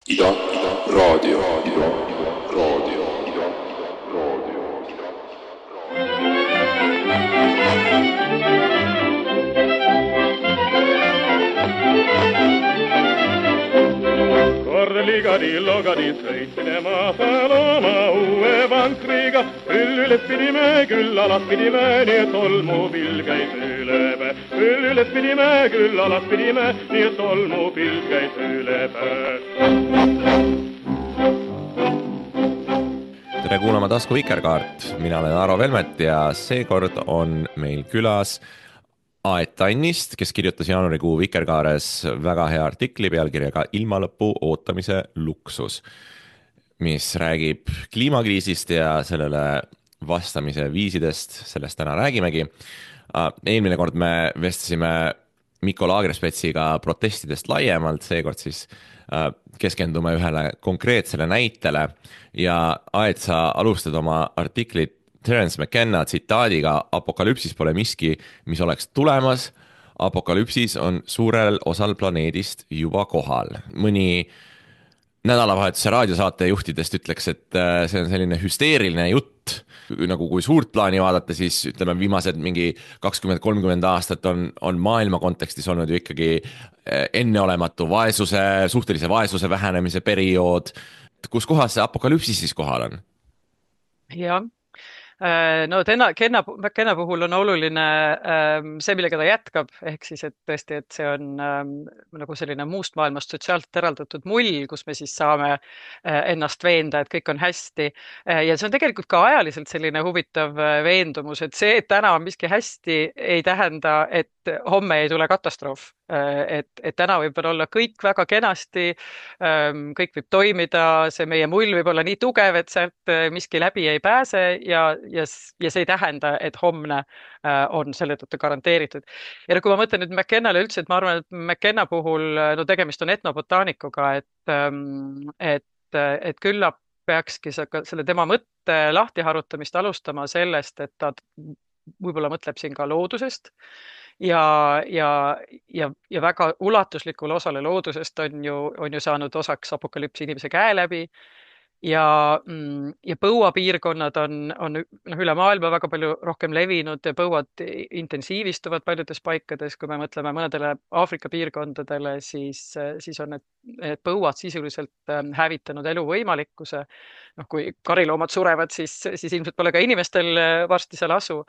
Raadio. Ligadi sõitsime maasal oma uue vankriga, küll üles pidime, küll alas pidime, nii et tolmupilv käis üle päe. Küll üles pidime, küll alas pidime, nii et tolmupilv käis üle päe. Tere kuulama Tasku Vikerkaart, mina olen Aro Velmet ja seekord on meil külas Aet Tannist, kes kirjutas jaanuarikuu Vikerkaares väga hea artikli pealkirjaga Ilmalõpu ootamise luksus, mis räägib kliimakriisist ja sellele vastamise viisidest, sellest täna räägimegi. Eelmine kord me vestlesime Mikko Laagrespetsiga protestidest laiemalt, seekord siis keskendume ühele konkreetsele näitele ja Aet, sa alustad oma artiklit Terence McKenna tsitaadiga: apokalüpsis pole miski, mis oleks tulemas. Apokalüpsis on suurel osal planeedist juba kohal. Mõni nädalavahetuse raadiosaate juhtidest ütleks, et see on selline hüsteeriline jutt. Nagu kui suurt plaani vaadata, siis ütleme viimased mingi 20-30 aastat on maailma kontekstis olnud ju ikkagi enneolematu suhtelise vaesuse vähenemise periood. Kus kohas see apokalüpsis siis kohal on? Jah. No McKenna puhul on oluline see, millega ta jätkab, ehk siis, et tõesti, et see on nagu selline muust maailmast sotsiaalselt eraldatud mull, kus me siis saame ennast veenda, et kõik on hästi. Ja see on tegelikult ka ajaliselt selline huvitav veendumus, et see, et täna on miski hästi, ei tähenda, et homme ei tule katastroof. Et täna võib olla kõik väga kenasti, kõik võib toimida, see meie mull võib olla nii tugev, et sealt miski läbi ei pääse ja see ei tähenda, et homne on selle tõttu garanteeritud. Ja kui ma mõtlen nüüd McKennale üldse, et ma arvan, et McKenna puhul tegemist on etnobotaanikuga, et küllap peakski selle tema mõtte lahtiharutamist alustama sellest, et ta võib-olla mõtleb siin ka loodusest ja väga ulatuslikul osale loodusest on ju saanud osaks apokalüps inimese käe läbi ja põuapiirkonnad on üle maailma väga palju rohkem levinud ja põuad intensiivistuvad paljudes paikades. Kui me mõtleme mõnedele Aafrika piirkondadele, siis on need põuad sisuliselt hävitanud eluvõimalikkuse. Kui kariloomad surevad, siis ilmselt pole ka inimestel varsti seal asu.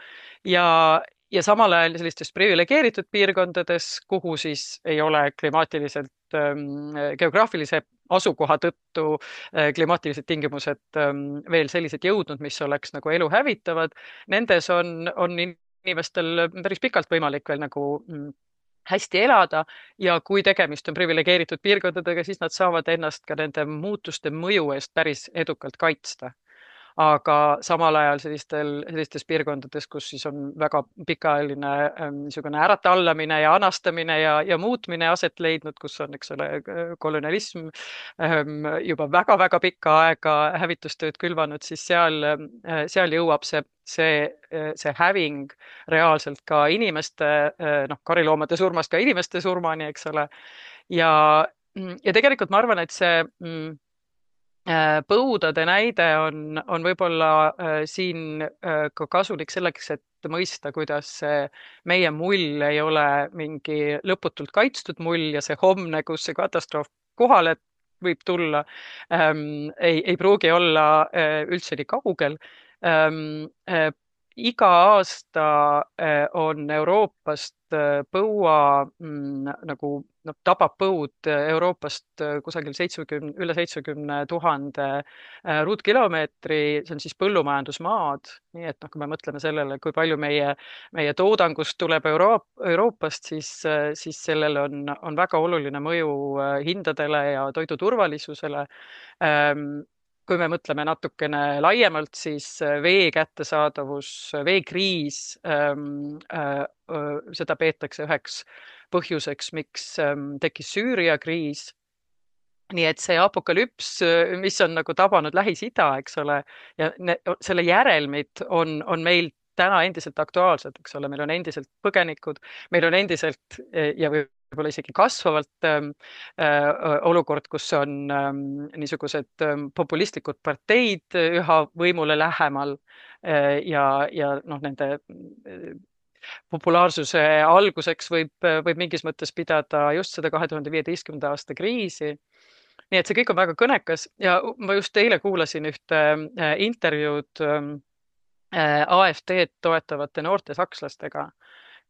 Ja samal ajal sellistes privilegeeritud piirkondades, kuhu siis ei ole klimaatiliselt geograafilise asukoha tõttu klimaatilised tingimused veel sellised jõudnud, mis oleks nagu elu hävitavad. Nendes on inimestel päris pikalt võimalik veel nagu hästi elada ja kui tegemist on privilegeeritud piirkondadega, siis nad saavad ennast ka nende muutuste mõju eest päris edukalt kaitsta. Aga samal ajal sellistes piirkondades, kus siis on väga pikaajaline niisugune äratallamine ja anastamine ja muutmine aset leidnud, kus on, eks ole, kolonialism juba väga-väga pikka aega hävitustööd külvanud, siis seal jõuab see häving reaalselt ka inimeste, kariloomade surmast ka inimeste surmani, eks ole. Ja tegelikult ma arvan, et see põudade näide on võib-olla siin ka kasulik selleks, et mõista, kuidas see meie mull ei ole mingi lõputult kaitstud mull ja see homne, kus see katastroof kohale võib tulla, ei pruugi olla üldse nii kaugel. Iga aasta on Euroopast põua nagu tabab põud Euroopast kusagil üle 70,000 ruutkilomeetri, see on siis põllumajandusmaad. Nii et kui me mõtleme sellele, kui palju meie toodangust tuleb Euroopast, siis sellel on väga oluline mõju hindadele ja toiduturvalisusele. Kui me mõtleme natukene laiemalt, siis vee kättesaadavus, veekriis, seda peetakse üheks põhjuseks, miks tekkis Süüria kriis. Nii et see apokalüps, mis on nagu tabanud Lähis-Ida, eks ole, ja selle järelmid on meil täna endiselt aktuaalsed, eks ole, meil on endiselt põgenikud, meil on endiselt ja võib-olla isegi kasvavalt olukord, kus on niisugused populistlikud parteid üha võimule lähemal ja noh, nende populaarsuse alguseks võib mingis mõttes pidada just seda 2015. aasta kriisi. Nii et see kõik on väga kõnekas ja ma just eile kuulasin ühte intervjuud AfD-d toetavate noorte sakslastega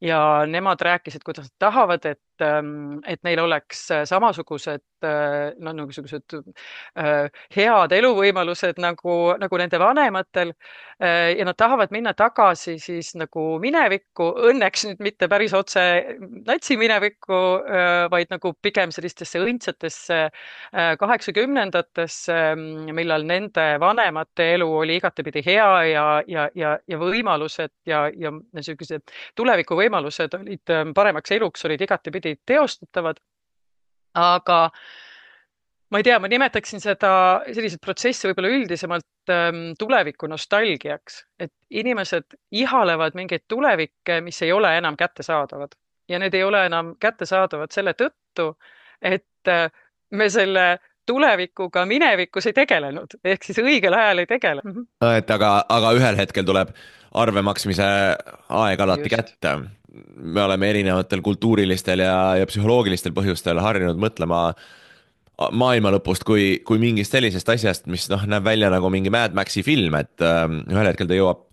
ja nemad rääkisid, kuidas nad tahavad, et neil oleks samasugused no, niisugused head eluvõimalused nagu nende vanematel ja nad tahavad minna tagasi siis nagu minevikku, õnneks nüüd mitte päris otse natsiminevikku, vaid nagu pigem sellistesse õndsatesse 80ndatesse, millal nende vanemate elu oli igatepidi hea ja võimalused ja niisugused tulevikuvõimalused olid paremaks eluks, olid igatepidi teostatavad. Aga ma ei tea, ma nimetaksin selliseid protsesse võib-olla üldisemalt tuleviku nostalgiaks, et inimesed ihalevad mingeid tulevikke, mis ei ole enam kättesaadavad ja need ei ole enam kättesaadavad selle tõttu, et me selle tulevikuga minevikus ei tegelenud, ehk siis õigel ajal ei tegele. et aga ühel hetkel tuleb arve maksmise aeg alati Just. kätte. Me oleme erinevatel kultuurilistel ja psühholoogilistel põhjustel harjunud mõtlema maailma lõpust kui mingist sellisest asjast, mis noh, näeb välja nagu mingi Mad Maxi film, et ühel hetkel ta jõuab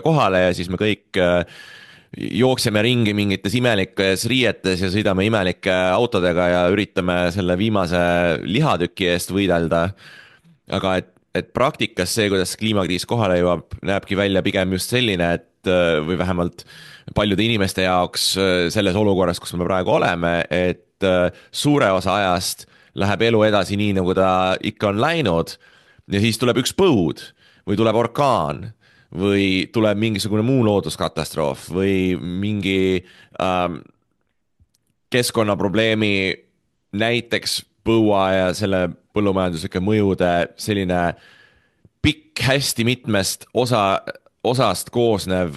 kohale ja siis me kõik jookseme ringi mingites imelikes riietes ja sõidame imelike autodega ja üritame selle viimase lihatüki eest võidelda. Aga et praktikas see, kuidas kliimakriis kohale jõuab, näebki välja pigem just selline, et või vähemalt paljude inimeste jaoks selles olukorras, kus me praegu oleme, et suure osa ajast läheb elu edasi nii, nagu ta ikka on läinud ja siis tuleb üks põud või tuleb orkaan või tuleb mingisugune muu looduskatastroof või mingi keskkonnaprobleemi, näiteks põua ja selle põllumajanduslike mõjude selline pikk, hästi mitmest osast koosnev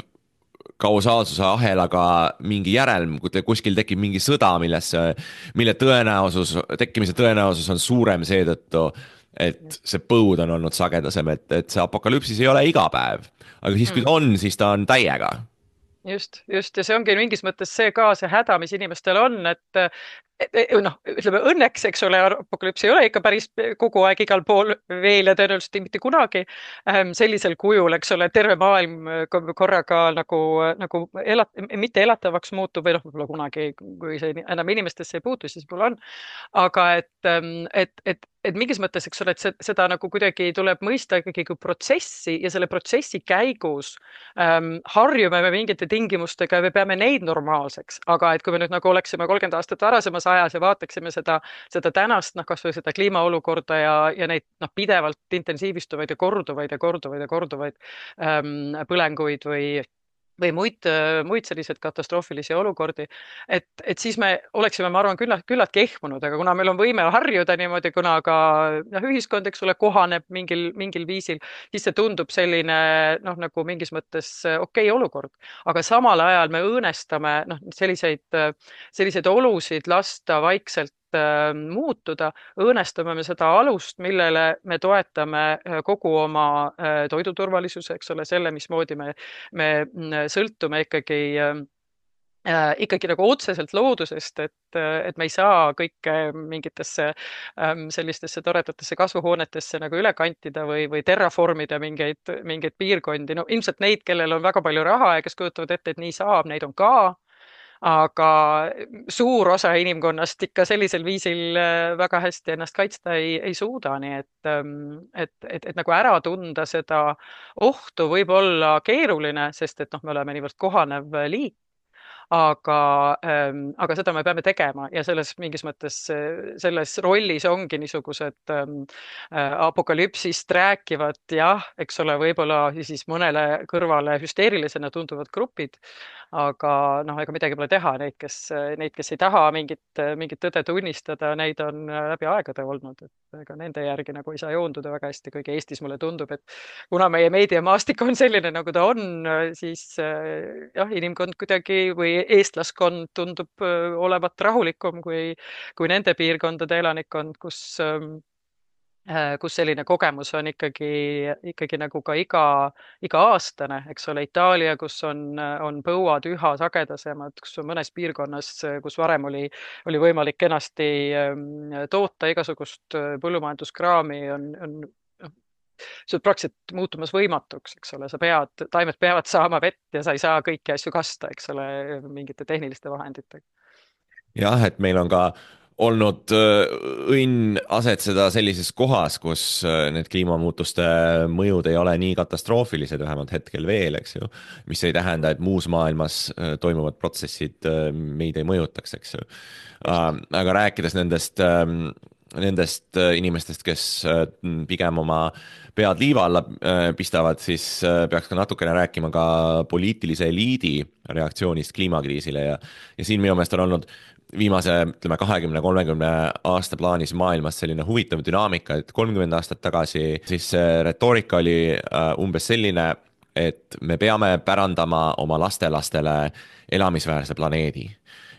kausaalsuse ahelaga mingi järelm, kui kuskil tekib mingi sõda, mille tekkimise tõenäosus on suurem seetõttu, et see põud on olnud sagedasem, et see apokalüpsis ei ole iga päev. Aga siis, kui ta on, siis ta on täiega. Just ja see ongi mingis mõttes see ka see häda, mis inimestel on, et noh, ütleme õnneks, eks ole, apokalüps ei ole ikka päris kogu aeg igal pool veel ja tõenäoliselt mitte kunagi sellisel kujul, eks ole, terve maailm korraga nagu mitte elatavaks muutub või noh, võib-olla kunagi, kui see enam inimestesse ei puutu, siis võib-olla on. Aga et mingis mõttes, eks ole, et seda nagu kuidagi tuleb mõista ikkagi kui protsessi ja selle protsessi käigus harjume me mingite tingimustega ja me peame neid normaalseks. Aga et kui me nüüd nagu oleksime 30 aastat varasemas ajas ja vaataksime seda tänast, noh, kasvõi seda kliimaolukorda ja neid noh, pidevalt intensiivistuvaid ja korduvaid põlenguid või muid selliseid katastroofilisi olukordi, et siis me oleksime, ma arvan, küllalt kehmunud, aga kuna meil on võime harjuda niimoodi, kuna ka noh, ühiskond, eks ole, kohaneb mingil viisil, siis see tundub selline noh, nagu mingis mõttes okei olukord. Aga samal ajal me õõnestame noh, selliseid olusid lasta vaikselt muutuda, õõnestame me seda alust, millele me toetame kogu oma toiduturvalisuse, eks ole, selle, mismoodi me sõltume ikkagi nagu otseselt loodusest, et me ei saa kõike mingitesse sellistesse toredatesse kasvuhoonetesse nagu üle kantida või terraformida mingeid piirkondi. No ilmselt neid, kellel on väga palju raha ja kes kujutavad ette, et nii saab, neid on ka. Aga suur osa inimkonnast ikka sellisel viisil väga hästi ennast kaitsta ei suuda, nii et nagu ära tunda seda ohtu võib olla keeruline, sest et noh, me oleme niivõrd kohanev liik. Aga seda me peame tegema ja selles mingis mõttes selles rollis ongi niisugused apokalüpsist rääkivad, jah, eks ole, võib-olla siis mõnele kõrvale hüsteerilisena tunduvad grupid, aga noh, ega midagi pole teha, neid, kes ei taha mingit tõde tunnistada, neid on läbi aegade olnud, et ega nende järgi nagu ei saa joonduda väga hästi, kuigi Eestis mulle tundub, et kuna meie meediamaastik on selline, nagu ta on, siis jah, inimkond kuidagi või eestlaskond tundub olevat rahulikum kui nende piirkondade elanikkond, kus selline kogemus on ikkagi nagu ka iga-aastane, eks ole, Itaalia, kus on põuad üha sagedasemad, kus on mõnes piirkonnas, kus varem oli võimalik kenasti toota igasugust põllumajanduskraami, on see on praktiliselt muutumas võimatuks, eks ole, taimed peavad saama vett ja sa ei saa kõiki asju kasta, eks ole, mingite tehniliste vahenditega. jah, et meil on ka olnud õnn asetseda sellises kohas, kus need kliimamuutuste mõjud ei ole nii katastroofilised, vähemalt hetkel veel, eks ju. mis ei tähenda, et muus maailmas toimuvad protsessid meid ei mõjutaks, eks ju. Aga rääkides nendest inimestest, kes pigem oma pead liiva alla pistavad, siis peaks ka natukene rääkima ka poliitilise eliidi reaktsioonist kliimakriisile ja siin minu meelest on olnud viimase, ütleme, 20-30 aasta plaanis maailmas selline huvitav dünaamika, et 30 aastat tagasi siis see retoorika oli umbes selline, et me peame pärandama oma lastelastele elamisväärse planeedi.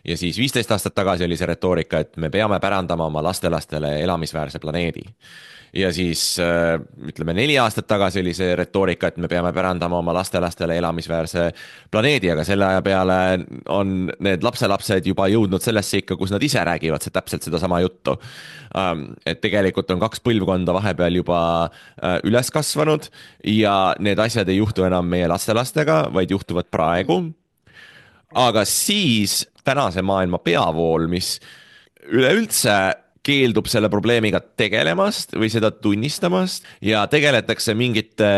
Ja siis 15 aastat tagasi oli see retoorika, et me peame pärandama oma lastelastele elamisväärse planeedi. Ja siis ütleme 4 aastat tagasi oli see retoorika, et me peame pärandama oma lastelastele elamisväärse planeedi, aga selle aja peale on need lapselapsed juba jõudnud sellesse ikka, kus nad ise räägivad täpselt sedasama juttu. Et tegelikult on 2 põlvkonda vahepeal juba üles kasvanud ja need asjad ei juhtu enam meie lastelastega, vaid juhtuvad praegu. Aga siis tänase maailma peavool, mis üleüldse keeldub selle probleemiga tegelemast või seda tunnistamast ja tegeletakse mingite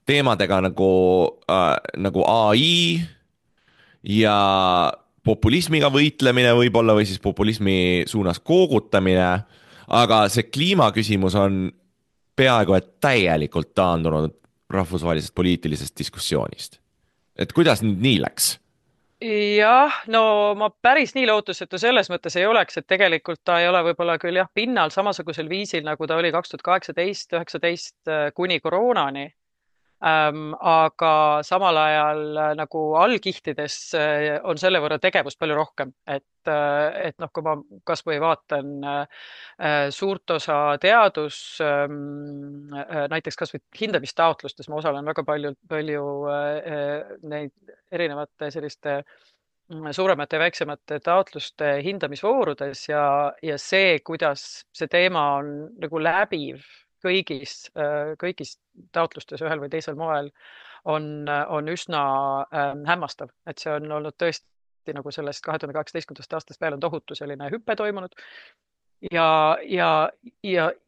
teemadega nagu AI ja populismiga võitlemine võib-olla või siis populismi suunas koogutamine, aga see kliimaküsimus on peaaegu et täielikult taandunud rahvusvahelisest poliitilisest diskussioonist. Et kuidas nüüd nii läks? Jah, no ma päris nii lootusetu selles mõttes ei oleks, et tegelikult ta ei ole võib-olla küll jah pinnal samasugusel viisil, nagu ta oli 2018-19 kuni koroonani. Aga samal ajal nagu allkihtides on selle võrra tegevust palju rohkem, et noh, kui ma kas või vaatan suurt osa näiteks kas või hindamistaotlustes, ma osalen väga palju neid erinevate selliste suuremate ja väiksemate taotluste hindamisvoorudes ja see, kuidas see teema on nagu läbiv kõigis taotlustes ühel või teisel moel on üsna hämmastav, et see on olnud tõesti nagu sellest 2018. aastast veel on tohutu selline hüppe toimunud. Ja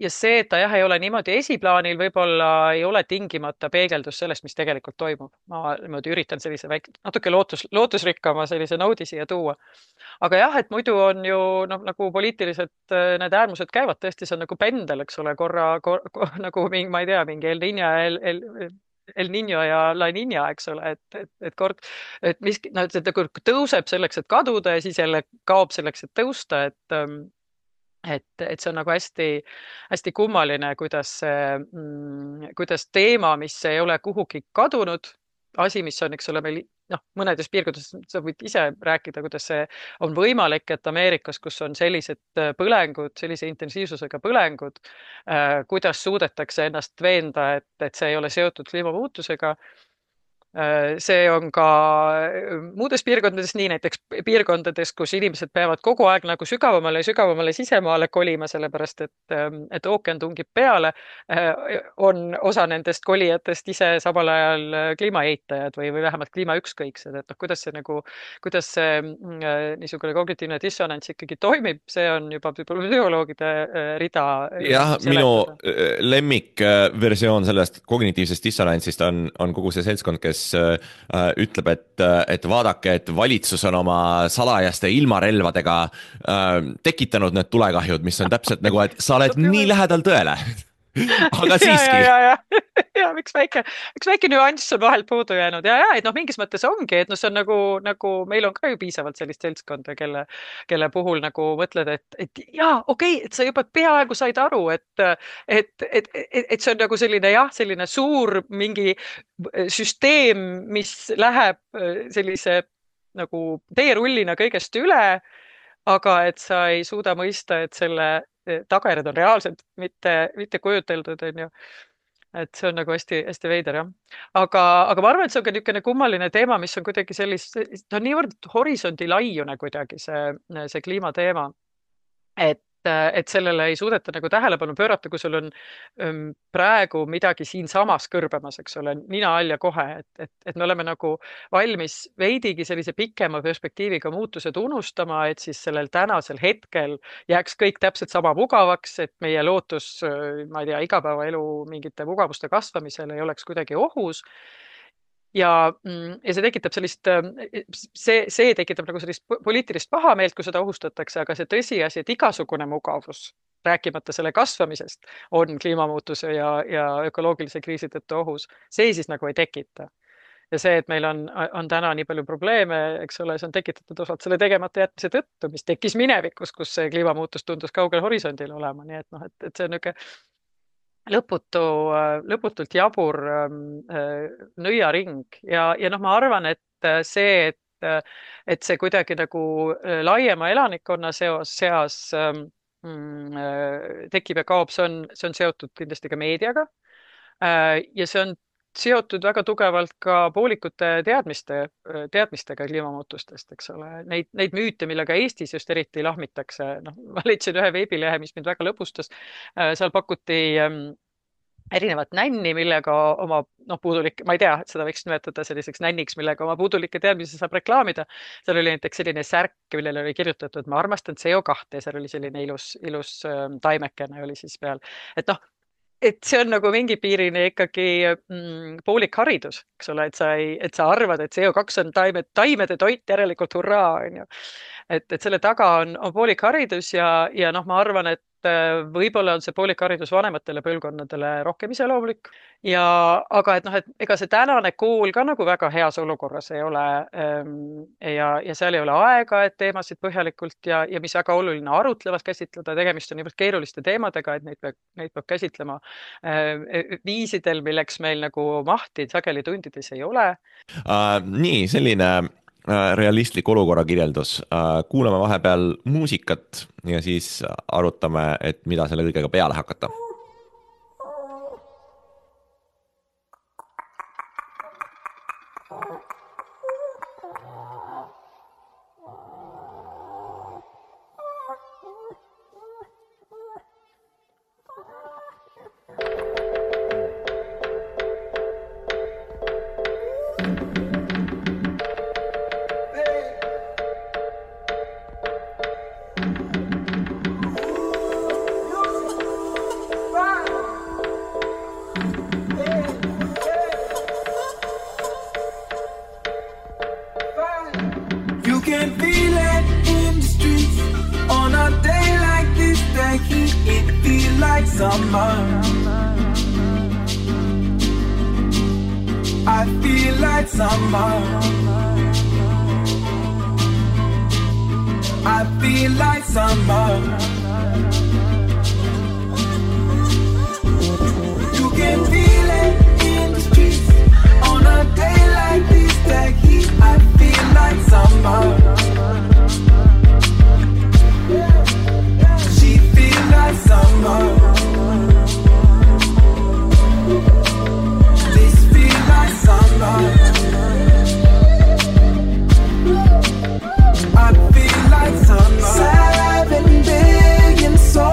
see, et ta jah, ei ole niimoodi esiplaanil, võib-olla ei ole tingimata peegeldus sellest, mis tegelikult toimub. Ma niimoodi üritan sellise natuke lootusrikkama sellise noodi siia tuua. Aga jah, et muidu on ju nagu poliitiliselt need äärmused käivad, tõesti see on nagu pendel, eks ole, nagu ma ei tea, mingi El Niño ja La Niña, eks ole, et kord, et miski tõuseb selleks, et kaduda ja siis jälle kaob selleks, et tõusta, et see on nagu hästi kummaline, kuidas teema, mis ei ole kuhugi kadunud, asi, mis on, eks ole, meil mõnedes piirkondades, sa võid ise rääkida, kuidas see on võimalik, et Ameerikas, kus on sellised põlengud, sellise intensiivsusega põlengud, kuidas suudetakse ennast veenda, et see ei ole seotud kliimamuutusega. See on ka muudes piirkondades nii, näiteks piirkondades, kus inimesed peavad kogu aeg nagu sügavamale ja sügavamale sisemaale kolima, sellepärast et ookean tungib peale, on osa nendest kolijatest ise samal ajal kliimaeitajad või vähemalt kliimaükskõiksed, et kuidas see niisugune kognitiivne dissonants ikkagi toimib, see on juba psühholoogide rida. Jah, minu lemmikversioon sellest kognitiivsest dissonantsist on kogu see seltskond, kes ütleb, et vaadake, et valitsus on oma salajaste ilmarelvadega tekitanud need tulekahjud, mis on täpselt nagu, et sa oled nii lähedal tõele. Aga siiski. Ja miks väike nüanss on vahel puudu jäänud ja et mingis mõttes ongi, et see on nagu meil on ka ju piisavalt sellist seltskonda, kelle puhul nagu mõtled, et jaa, okei, et sa juba peaaegu said aru, et see on nagu selline suur mingi süsteem, mis läheb sellise nagu teerullina kõigest üle, aga et sa ei suuda mõista, et selle tagajärjed on reaalselt, mitte kujuteldud, on ju. Et see on nagu hästi veider, jah. Aga ma arvan, et see on ka niisugune kummaline teema, mis on kuidagi ta on niivõrd horisondi laiune kuidagi see kliimateema, et sellele ei suudeta nagu tähelepanu pöörata, kui sul on praegu midagi siinsamas kõrbemas, eks ole, nina all ja kohe, et me oleme nagu valmis veidigi sellise pikema perspektiiviga muutused unustama, et siis sellel tänasel hetkel jääks kõik täpselt sama mugavaks, et meie lootus, ma ei tea, igapäevaelu mingite mugavuste kasvamisel ei oleks kuidagi ohus. Ja see tekitab see tekitab nagu sellist poliitilist pahameelt, kui seda ohustatakse, aga see tõsiasi, et igasugune mugavus, rääkimata selle kasvamisest, on kliimamuutuse ja ökoloogilise kriisi tõttu ohus. See siis nagu ei tekita. Ja see, et meil on täna nii palju probleeme, eks ole, see on tekitatud osalt selle tegemata jätmise tõttu, mis tekkis minevikus, kus see kliimamuutus tundus kaugel horisondil olema. Nii et see on niisugune lõputult jabur nõiaring ja ma arvan, et see kuidagi nagu laiema elanikkonna seas tekib ja kaob, see on seotud kindlasti ka meediaga ja see on seotud väga tugevalt ka poolikute teadmistega kliimamuutustest, eks ole. Neid müüte, millega Eestis just eriti lahmitakse. Ma leidsin ühe veebilehe, mis mind väga lõbustas. Seal pakuti erinevat nänni, millega oma puudulik, ma ei tea, seda võiks nimetada selliseks nänniks, millega oma puudulikke teadmisi saab reklaamida. Seal oli näiteks selline särk, millele oli kirjutatud, ma armastan CO2 ja seal oli selline ilus taimekene oli siis peal. Et see on nagu mingi piirini ikkagi poolik haridus, eks ole, et sa arvad, et CO2 on taimede toit, järelikult hurraa, on ju. Et selle taga on poolik haridus ja ma arvan, et võib-olla on see poolik haridus vanematele põlvkonnadele rohkem iseloomulik. Aga et ega see tänane kool ka nagu väga heas olukorras ei ole ja seal ei ole aega, et teemasid põhjalikult ja mis väga oluline arutlevalt käsitleda, tegemist on niivõrd keeruliste teemadega, et neid peab käsitlema viisidel, milleks meil nagu mahti sageli tundides ei ole. Nii, selline realistlik olukorra kirjeldus. Kuulame vahepeal muusikat ja siis arutame, et mida selle kõigega peale hakata. So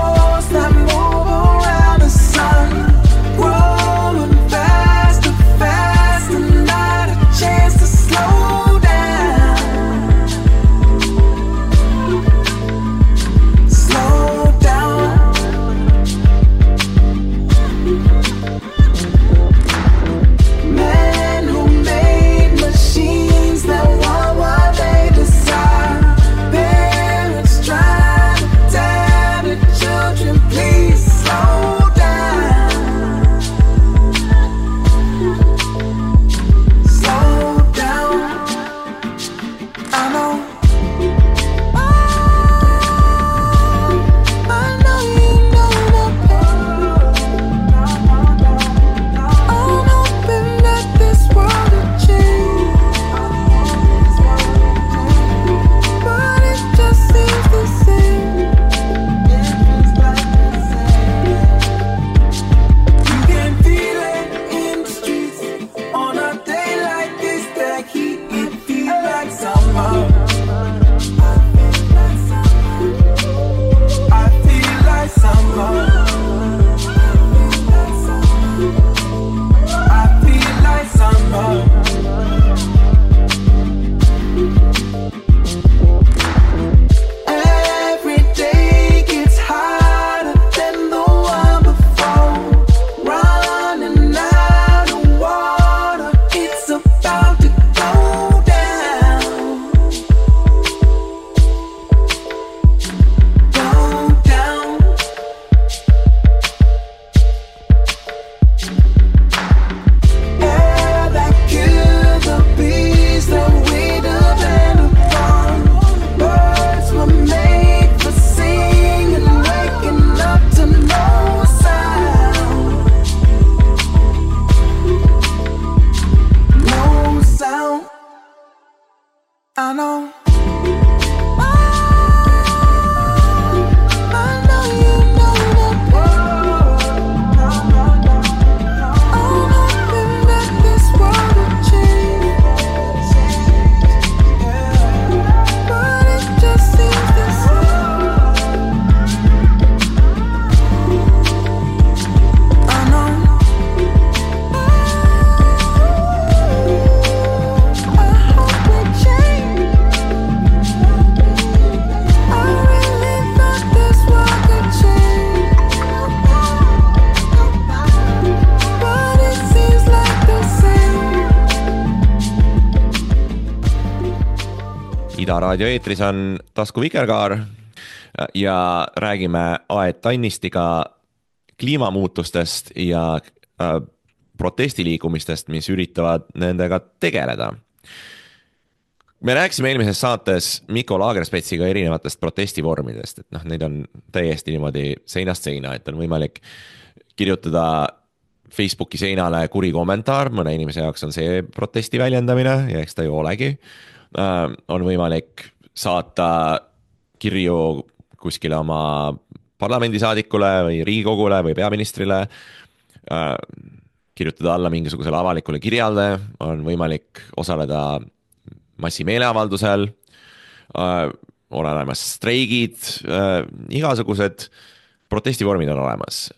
Ida Raadio eetris on Tasku Vikerkaar ja räägime Aet Tannistiga kliimamuutustest ja protestiliikumistest, mis üritavad nendega tegeleda. Me rääkisime eelmises saates Mikko Lagerspetsiga erinevatest protestivormidest, et noh, neid on täiesti niimoodi seinast seina, et on võimalik kirjutada Facebooki seinale kuri kommentaar, mõne inimese jaoks on see protesti väljendamine ja eks ta ju olegi. On võimalik saata kirju kuskile oma parlamendisaadikule või riigikogule või peaministrile, kirjutada alla mingisugusele avalikule kirjale, on võimalik osaleda massimeeleavaldusel, on olemas streigid, igasugused protestivormid on olemas.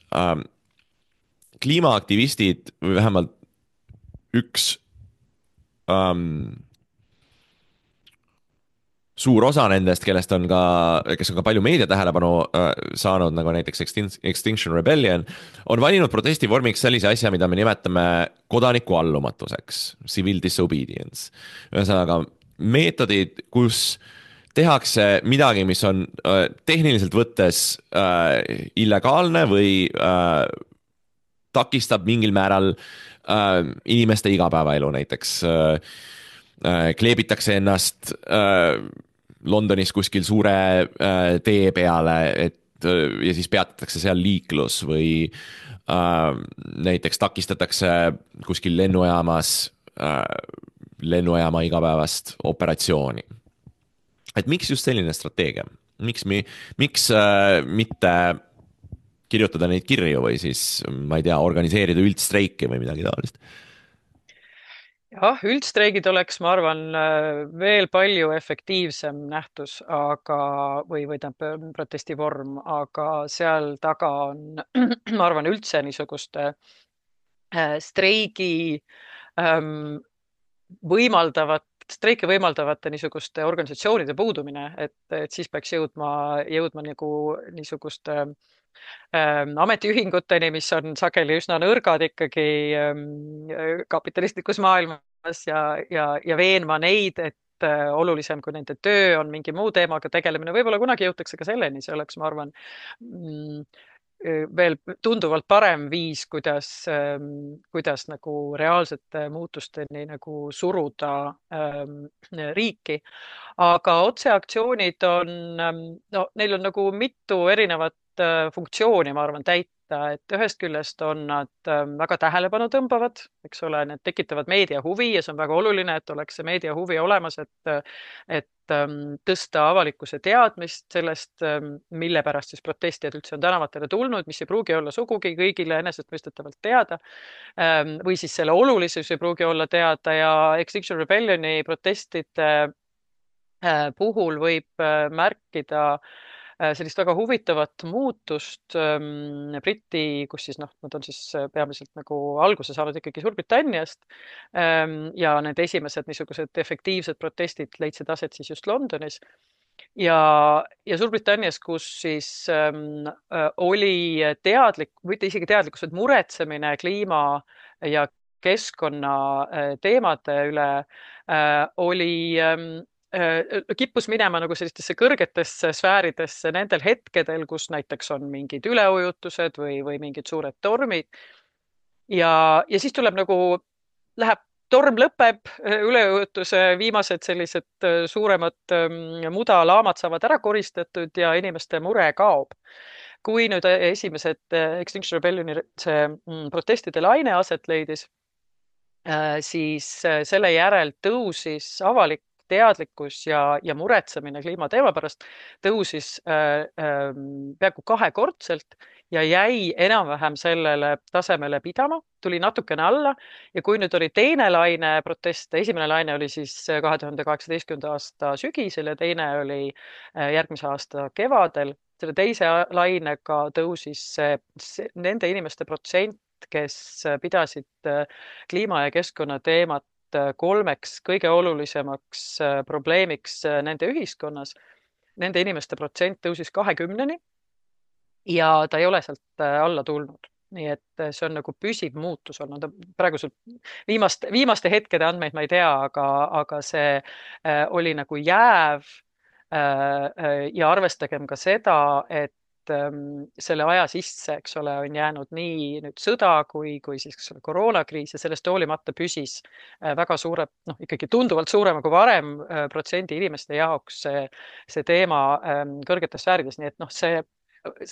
Kliimaaktivistid või vähemalt üks suur osa nendest, kes on ka palju meedia tähelepanu saanud, nagu näiteks Extinction Rebellion, on valinud protestivormiks sellise asja, mida me nimetame kodaniku allumatuseks, civil disobedience. Ühesõnaga meetodid, kus tehakse midagi, mis on tehniliselt võttes illegaalne või takistab mingil määral inimeste igapäevaelu, näiteks kleebitakse ennast Londonis kuskil suure tee peale, ja siis peatatakse seal liiklus või näiteks takistatakse kuskil lennujaama igapäevast operatsiooni. Et miks just selline strateegia? Miks mitte kirjutada neid kirju või siis, ma ei tea, organiseerida üldstreiki või midagi taolist? Jah, üldstreigid oleks, ma arvan, veel palju efektiivsem nähtus, või tähendab protestivorm, aga seal taga on, ma arvan, üldse niisuguste streiki võimaldavate niisuguste organisatsioonide puudumine, et siis peaks jõudma nagu niisuguste ametiühinguteni, mis on sageli üsna nõrgad ikkagi kapitalistlikus maailmas ja veenma neid, et olulisem kui nende töö on mingi muu teemaga tegelemine. Võib-olla kunagi jõutakse ka selleni, see oleks, ma arvan, veel tunduvalt parem viis, kuidas nagu reaalsete muutusteni nagu suruda riiki. Aga otseaktsioonid on, no neil on nagu mitu erinevat funktsiooni, ma arvan, täita, et ühest küljest on nad väga tähelepanu tõmbavad, eks ole, need tekitavad meedia huvi ja see on väga oluline, et oleks see meedia huvi olemas, et tõsta avalikkuse teadmist sellest, mille pärast siis protestijad üldse on tänavatele tulnud, mis ei pruugi olla sugugi kõigile enesestmõistetavalt teada, või siis selle olulisus ei pruugi olla teada ja Extinction Rebellioni protestide puhul võib märkida sellist väga huvitavat muutust kus siis nad on siis peamiselt nagu alguse saanud ikkagi Suurbritanniast ja need esimesed niisugused efektiivsed protestid leidsid aset siis just Londonis ja Suurbritannias, kus siis oli mitte isegi teadlikkus, et muretsemine kliima ja keskkonna teemade üle oli kippus minema nagu sellistesse kõrgetesse sfääridesse nendel hetkedel, kus näiteks on mingid üleujutused või mingid suured tormid. Ja siis tuleb torm lõpeb, üleujutuse viimased sellised suuremad mudalaamad saavad ära koristatud ja inimeste mure kaob. Kui nüüd esimesed Extinction Rebellioni protestide laine aset leidis, siis selle järel tõusis avalik teadlikkus ja muretsemine kliimateema pärast tõusis peaaegu 2-kordselt ja jäi enam-vähem sellele tasemele pidama, tuli natukene alla ja kui nüüd oli teine laine proteste, esimene laine oli siis 2018. aasta sügisel ja teine oli järgmise aasta kevadel, selle teise lainega tõusis nende inimeste protsent, kes pidasid kliima ja keskkonna teemat 3 kõige olulisemaks probleemiks nende ühiskonnas. Nende inimeste protsent tõusis 20-ni ja ta ei ole sealt alla tulnud. nii et see on nagu püsiv muutus olnud. Praegusel viimaste hetkede andmeid ma ei tea, aga see oli nagu jääv. Ja arvestagem ka seda, et selle aja sisse, eks ole, on jäänud nii nüüd sõda kui siis koroonakriis ja sellest hoolimata püsis väga suure, noh ikkagi tunduvalt suurema kui varem protsendi inimeste jaoks see teema kõrgetes sfäärides, nii et noh, see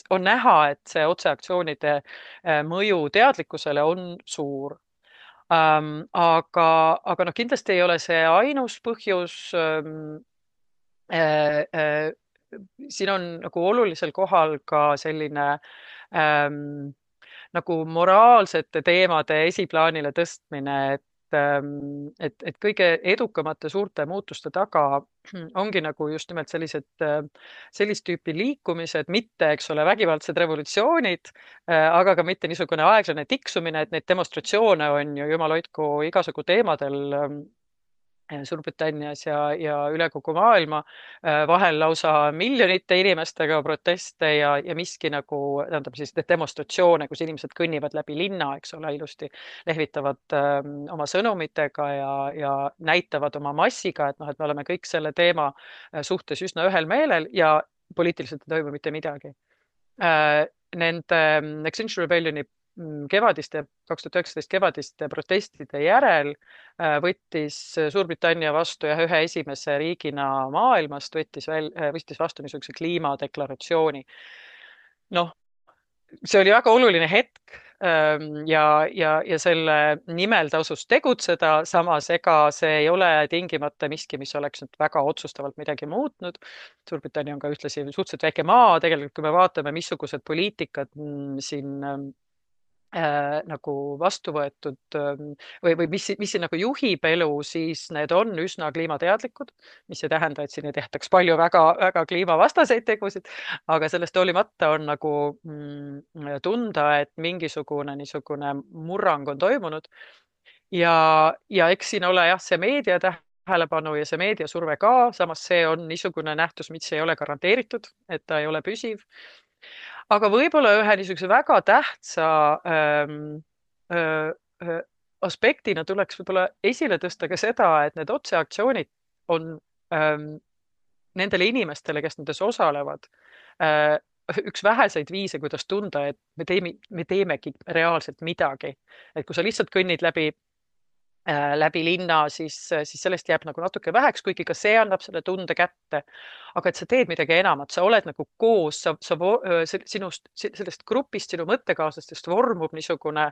on näha, et see otseaktsioonide mõju teadlikkusele on suur. Aga noh, kindlasti ei ole see ainus põhjus. Siin on nagu olulisel kohal ka selline nagu moraalsete teemade esiplaanile tõstmine, et kõige edukamate suurte muutuste taga ongi nagu just nimelt sellist tüüpi liikumised, mitte, eks ole, vägivaldsed revolutsioonid, aga ka mitte niisugune aeglane tiksumine, et neid demonstratsioone on ju jumal hoidku igasugu teemadel Suurbritannias ja üle kogu maailma, vahel lausa miljonite inimestega proteste ja miski nagu, tähendab siis demonstratsioone, kus inimesed kõnnivad läbi linna, eks ole, ilusti lehvitavad oma sõnumitega ja näitavad oma massiga, et noh, et me oleme kõik selle teema suhtes üsna ühel meelel ja poliitiliselt ei toimu mitte midagi. Nende Extinction Rebellioni kevadiste, 2019 kevadiste protestide järel võttis Suurbritannia vastu ja ühe esimese riigina maailmast võttis vastu niisuguse kliimadeklaratsiooni. Noh, see oli väga oluline hetk ja selle nimel tasus tegutseda, samas ega see ei ole tingimata miski, mis oleks nüüd väga otsustavalt midagi muutnud. Suurbritannia on ka ühtlasi suhteliselt väike maa, tegelikult kui me vaatame, missugused poliitikad siin nagu vastu võetud või mis siin nagu juhib elu, siis need on üsna kliimateadlikud, mis ei tähenda, et siin ei tehtaks palju väga kliimavastaseid tegusid, aga sellest hoolimata on nagu tunda, et mingisugune niisugune murrang on toimunud ja eks siin ole jah, see meedia tähelepanu ja see meediasurve ka, samas see on niisugune nähtus, mis ei ole garanteeritud, et ta ei ole püsiv. Aga võib-olla ühe niisuguse väga tähtsa aspektina tuleks võib-olla esile tõsta ka seda, et need otseaktsioonid on nendele inimestele, kes nendes osalevad, üks väheseid viise, kuidas tunda, et me teemegi reaalselt midagi. Et kui sa lihtsalt kõnnid läbi linna, siis sellest jääb nagu natuke väheks, kuigi ka see annab selle tunde kätte. Aga et sa teed midagi enamat, sa oled nagu koos, sellest grupist, sinu mõttekaaslastest vormub niisugune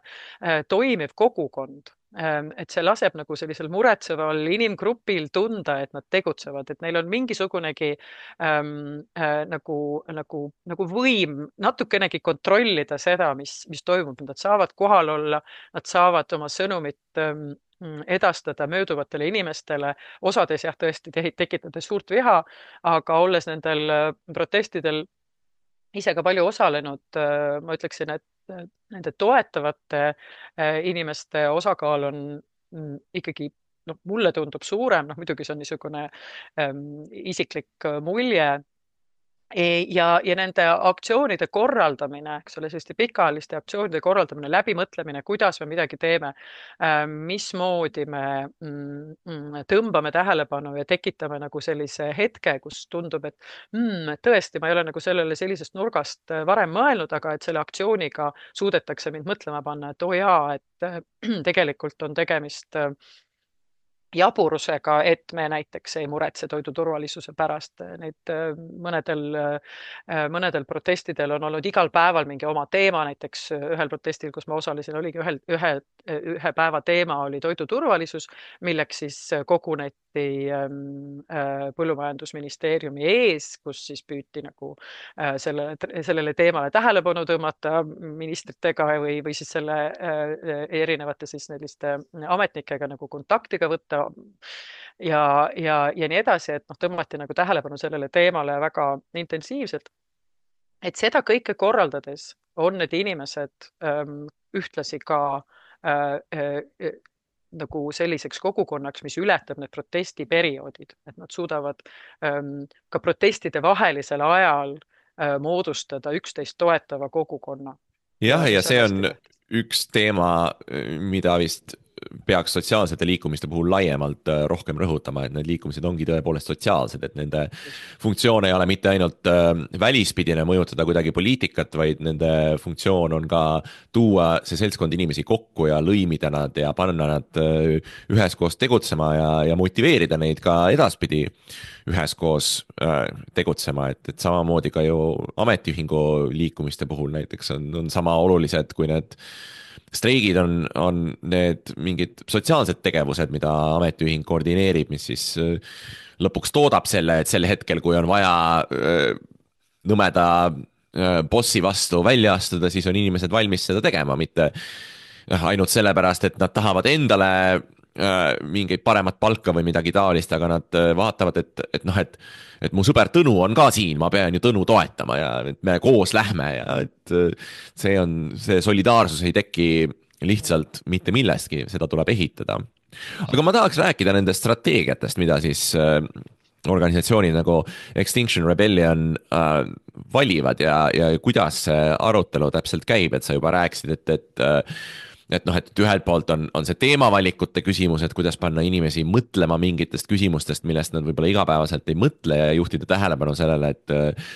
toimiv kogukond. Et see laseb nagu sellisel muretseval inimgrupil tunda, et nad tegutsevad, et neil on mingisugunegi nagu võim natukenegi kontrollida seda, mis toimub. Nad saavad kohal olla, nad saavad oma sõnumit edastada mööduvatele inimestele, osades jah tõesti tekitades suurt viha, aga olles nendel protestidel ise ka palju osalenud, ma ütleksin, et nende toetavate inimeste osakaal on ikkagi, noh, mulle tundub suurem, noh muidugi see on niisugune isiklik mulje. Ja nende aktsioonide korraldamine, eks ole, selliste pikaajaliste aktsioonide korraldamine, läbimõtlemine, kuidas me midagi teeme, mismoodi me tõmbame tähelepanu ja tekitame nagu sellise hetke, kus tundub, et tõesti, ma ei ole nagu sellele sellisest nurgast varem mõelnud, aga et selle aktsiooniga suudetakse mind mõtlema panna, et oo jaa, et tegelikult on tegemist jaburusega, et me näiteks ei muretse toidu turvalisuse pärast. Neid mõnedel protestidel on olnud igal päeval mingi oma teema, näiteks ühel protestil, kus ma osalesin, oligi ühe päeva teema oli toidu turvalisus, milleks siis koguneti põllumajandusministeeriumi ees, kus siis püüti nagu sellele teemale tähelepanu tõmmata ministritega või siis selle erinevate siis selliste ametnikega nagu kontaktiga võtta ja nii edasi, et noh, tõmmati nagu tähelepanu sellele teemale väga intensiivselt. Et seda kõike korraldades on need inimesed ühtlasi ka nagu selliseks kogukonnaks, mis ületab need protestiperioodid, et nad suudavad ka protestide vahelisel ajal moodustada üksteist toetava kogukonna. jah, ja see on see hästi on tähtis. üks teema, mida vist peaks sotsiaalsete liikumiste puhul laiemalt rohkem rõhutama, et need liikumised ongi tõepoolest sotsiaalsed, et nende Just. funktsioon ei ole mitte ainult välispidine mõjutada kuidagi poliitikat, vaid nende funktsioon on ka tuua see seltskond inimesi kokku ja lõimida nad ja panna nad üheskoos tegutsema ja motiveerida neid ka edaspidi üheskoos tegutsema, et samamoodi ka ju ametiühingu liikumiste puhul näiteks on sama olulised, kui need streigid on need mingid sotsiaalsed tegevused, mida ametiühing koordineerib, mis siis lõpuks toodab selle, et sel hetkel, kui on vaja nõmeda bossi vastu välja astuda, siis on inimesed valmis seda tegema, mitte ainult sellepärast, et nad tahavad endale mingeid paremat palka või midagi taolist, aga nad vaatavad, et noh, et mu sõber Tõnu on ka siin, ma pean ju Tõnu toetama ja et me koos lähme ja et see solidaarsus ei teki lihtsalt mitte millestki, seda tuleb ehitada. aga ma tahaks rääkida nendest strateegiatest, mida siis organisatsioonid nagu Extinction Rebellion valivad ja kuidas see arutelu täpselt käib, et sa juba rääkisid, et noh, et ühelt poolt on see teemavalikute küsimus, et kuidas panna inimesi mõtlema mingitest küsimustest, millest nad võib-olla igapäevaselt ei mõtle ja juhtida tähelepanu sellele,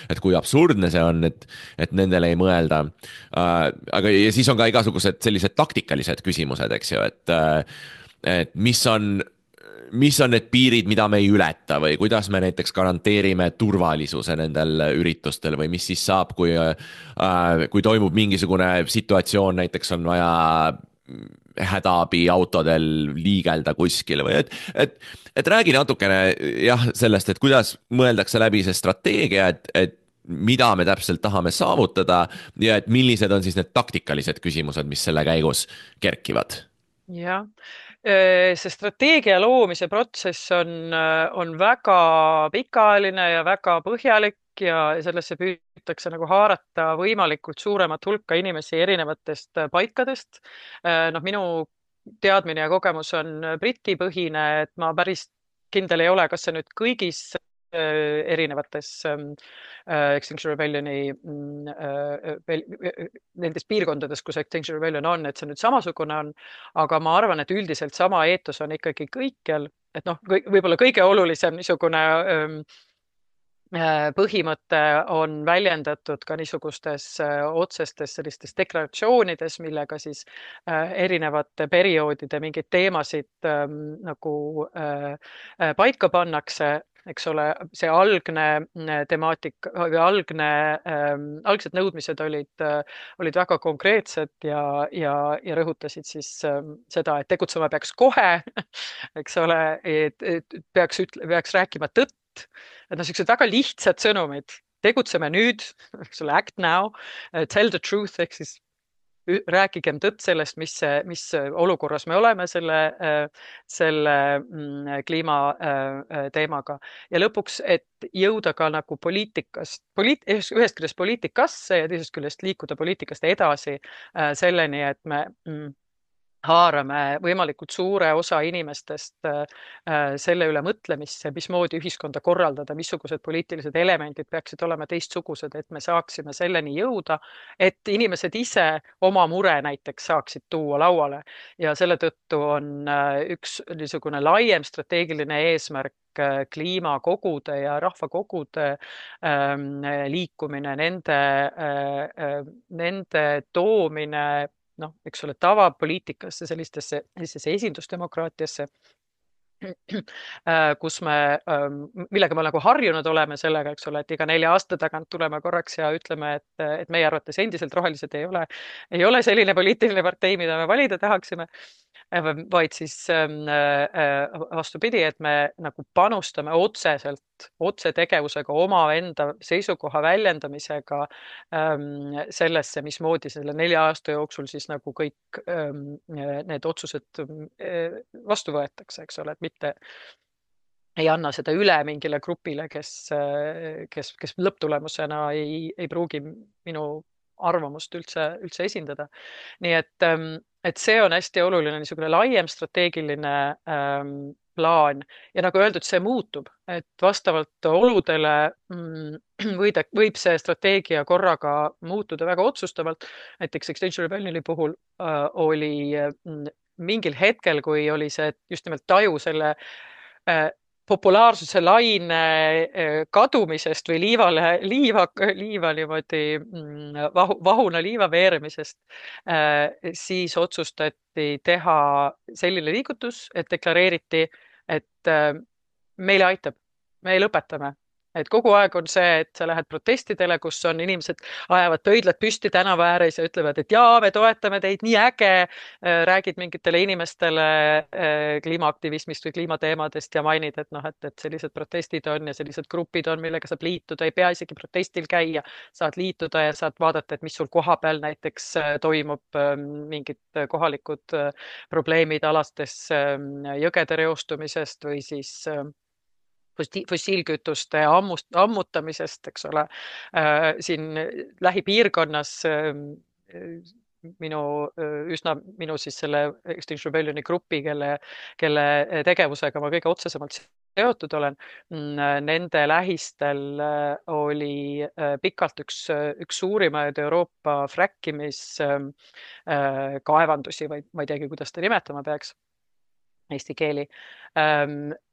et kui absurdne see on, et nendele ei mõelda. Aga ja siis on ka igasugused sellised taktikalised küsimused, eks ju, et mis on need piirid, mida me ei ületa või kuidas me näiteks garanteerime turvalisuse nendel üritustel või mis siis saab, kui toimub mingisugune situatsioon, näiteks on vaja hädaabiautodel liigelda kuskil või et räägi natukene jah, sellest, et kuidas mõeldakse läbi see strateegia, et mida me täpselt tahame saavutada ja et millised on siis need taktikalised küsimused, mis selle käigus kerkivad. Jah, see strateegia loomise protsess on väga pikaajaline ja väga põhjalik ja sellesse püütakse nagu haarata võimalikult suuremat hulka inimesi erinevatest paikadest. Noh, minu teadmine ja kogemus on britipõhine, et ma päris kindel ei ole, kas see nüüd kõigis erinevates Extinction Rebellioni nendes piirkondades, kus Extinction Rebellion on, et see nüüd samasugune on, aga ma arvan, et üldiselt sama eetos on ikkagi kõikjal, et noh, võib-olla kõige olulisem niisugune põhimõte on väljendatud ka niisugustes otsestes sellistes deklaratsioonides, millega siis erinevate perioodide mingeid teemasid nagu paika pannakse, eks ole, see algne temaatika või algsed nõudmised olid väga konkreetsed ja rõhutasid siis seda, et tegutsema peaks kohe, eks ole, et peaks rääkima tõtt, et noh, sellised väga lihtsad sõnumid, tegutseme nüüd, eks ole, act now, tell the truth ehk siis rääkigem tõtt sellest, mis olukorras me oleme selle kliimateemaga ja lõpuks, et jõuda ka nagu poliitikast, ühest küljest poliitikasse ja teisest küljest liikuda poliitikast edasi selleni, et me haarame võimalikult suure osa inimestest selle üle mõtlemisse, mismoodi ühiskonda korraldada, missugused poliitilised elemendid peaksid olema teistsugused, et me saaksime selleni jõuda, et inimesed ise oma mure näiteks saaksid tuua lauale ja selle tõttu on üks niisugune laiem strateegiline eesmärk kliimakogude ja rahvakogude liikumine, nende toomine noh, eks ole, tavapoliitikasse, sellistesse esindusdemokraatiasse, kus millega me nagu harjunud oleme sellega, eks ole, et iga 4 aasta tagant tuleme korraks ja ütleme, et meie arvates endiselt rohelised ei ole selline poliitiline partei, mida me valida tahaksime, vaid siis vastupidi, et me nagu panustame otsetegevusega omaenda seisukoha väljendamisega sellesse, mismoodi selle 4 aasta jooksul siis nagu kõik need otsused vastu võetakse, eks ole, et mitte ei anna seda üle mingile grupile, kes lõpptulemusena ei pruugi minu arvamust üldse esindada. Nii et see on hästi oluline niisugune laiem strateegiline plaan ja nagu öeldud, see muutub, et vastavalt oludele võib see strateegia korraga muutuda väga otsustavalt. Näiteks Extinction Rebellioni puhul oli mingil hetkel, kui oli see just nimelt taju selle populaarsuse laine kadumisest või liiva niimoodi vahuna liiva veeremisest, siis otsustati teha selline liigutus, et deklareeriti, et meile aitab, me lõpetame. Et kogu aeg on see, et sa lähed protestidele, kus on inimesed ajavad pöidlad püsti tänava ääres ja ütlevad, et jaa, me toetame teid, nii äge. Räägid mingitele inimestele kliimaaktivismist või kliimateemadest ja mainid, et noh, et sellised protestid on ja sellised grupid on, millega saab liituda, ei pea isegi protestil käia, saad liituda ja saad vaadata, et mis sul kohapeal näiteks toimub, mingid kohalikud probleemid alastes jõgede reostumisest või siis fossiilkütuste ammutamisest, eks ole. Siin lähipiirkonnas minu siis selle Extinction Rebellioni grupi, kelle tegevusega ma kõige otsesemalt seotud olen, nende lähistel oli pikalt üks suurimaid Euroopa kaevandusi või ma ei teagi, kuidas ta nimetama peaks eesti keeli.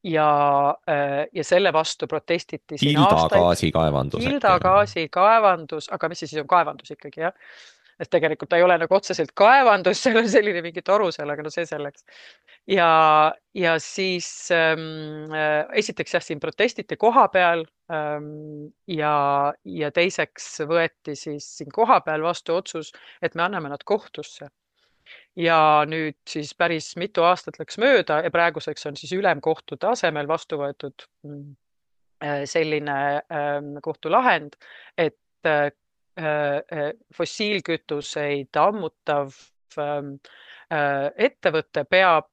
Ja selle vastu protestiti siin Hildagaasikaevandus. Hildagaasikaevandus, aga mis see siis on kaevandus ikkagi, jah? Et tegelikult ta ei ole nagu otseselt kaevandus, seal on selline mingi toru seal, aga no see selleks. Ja siis esiteks jah, siin protestiti koha peal ja teiseks võeti siis siin koha peal vastu otsus, et me anname nad kohtusse. Ja nüüd siis päris mitu aastat läks mööda ja praeguseks on siis ülemkohtu tasemel vastu võetud selline kohtulahend, et fossiilkütuseid ammutav ettevõte peab,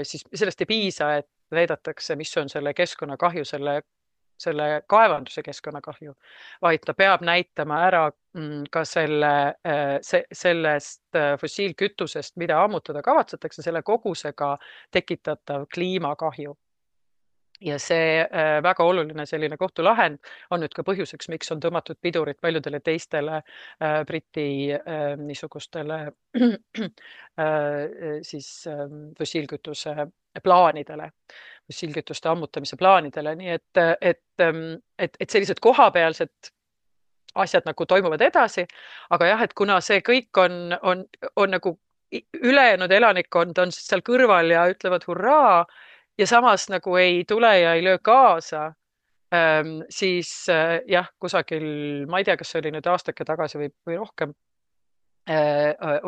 siis sellest ei piisa, et näidatakse, mis on selle keskkonnakahju, selle kaevanduse keskkonnakahju, vaid ta peab näitama ära ka sellest fossiilkütusest, mida ammutada kavatsetakse, selle kogusega tekitatav kliimakahju. Ja see väga oluline selline kohtulahend on nüüd ka põhjuseks, miks on tõmmatud pidurit paljudele teistele Briti niisugustele siis fossiilkütuse plaanidele, fossiilkütuste ammutamise plaanidele. Nii et sellised kohapealsed asjad nagu toimuvad edasi, aga jah, et kuna see kõik on nagu ülejäänud elanikkond on seal kõrval ja ütlevad hurraa ja samas nagu ei tule ja ei löö kaasa, siis jah, kusagil, ma ei tea, kas see oli nüüd aastake tagasi või rohkem,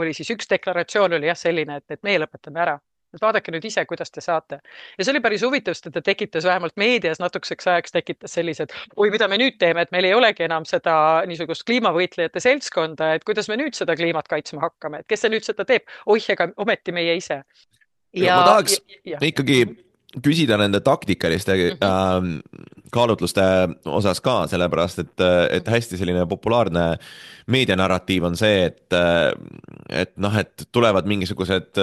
oli siis üks deklaratsioon oli jah selline, et meie lõpetame ära. Et vaadake nüüd ise, kuidas te saate. Ja see oli päris huvitav, sest ta tekitas vähemalt meedias natukeseks ajaks tekitas sellised, oi, mida me nüüd teeme, et meil ei olegi enam seda niisugust kliimavõitlejate seltskonda, et kuidas me nüüd seda kliimat kaitsma hakkame, et kes see nüüd seda teeb? Oih, ega ometi meie ise. Ma tahaks ikkagi küsida nende taktikaliste kaalutluste osas ka, sellepärast et hästi selline populaarne meedianarratiiv on see, et tulevad mingisugused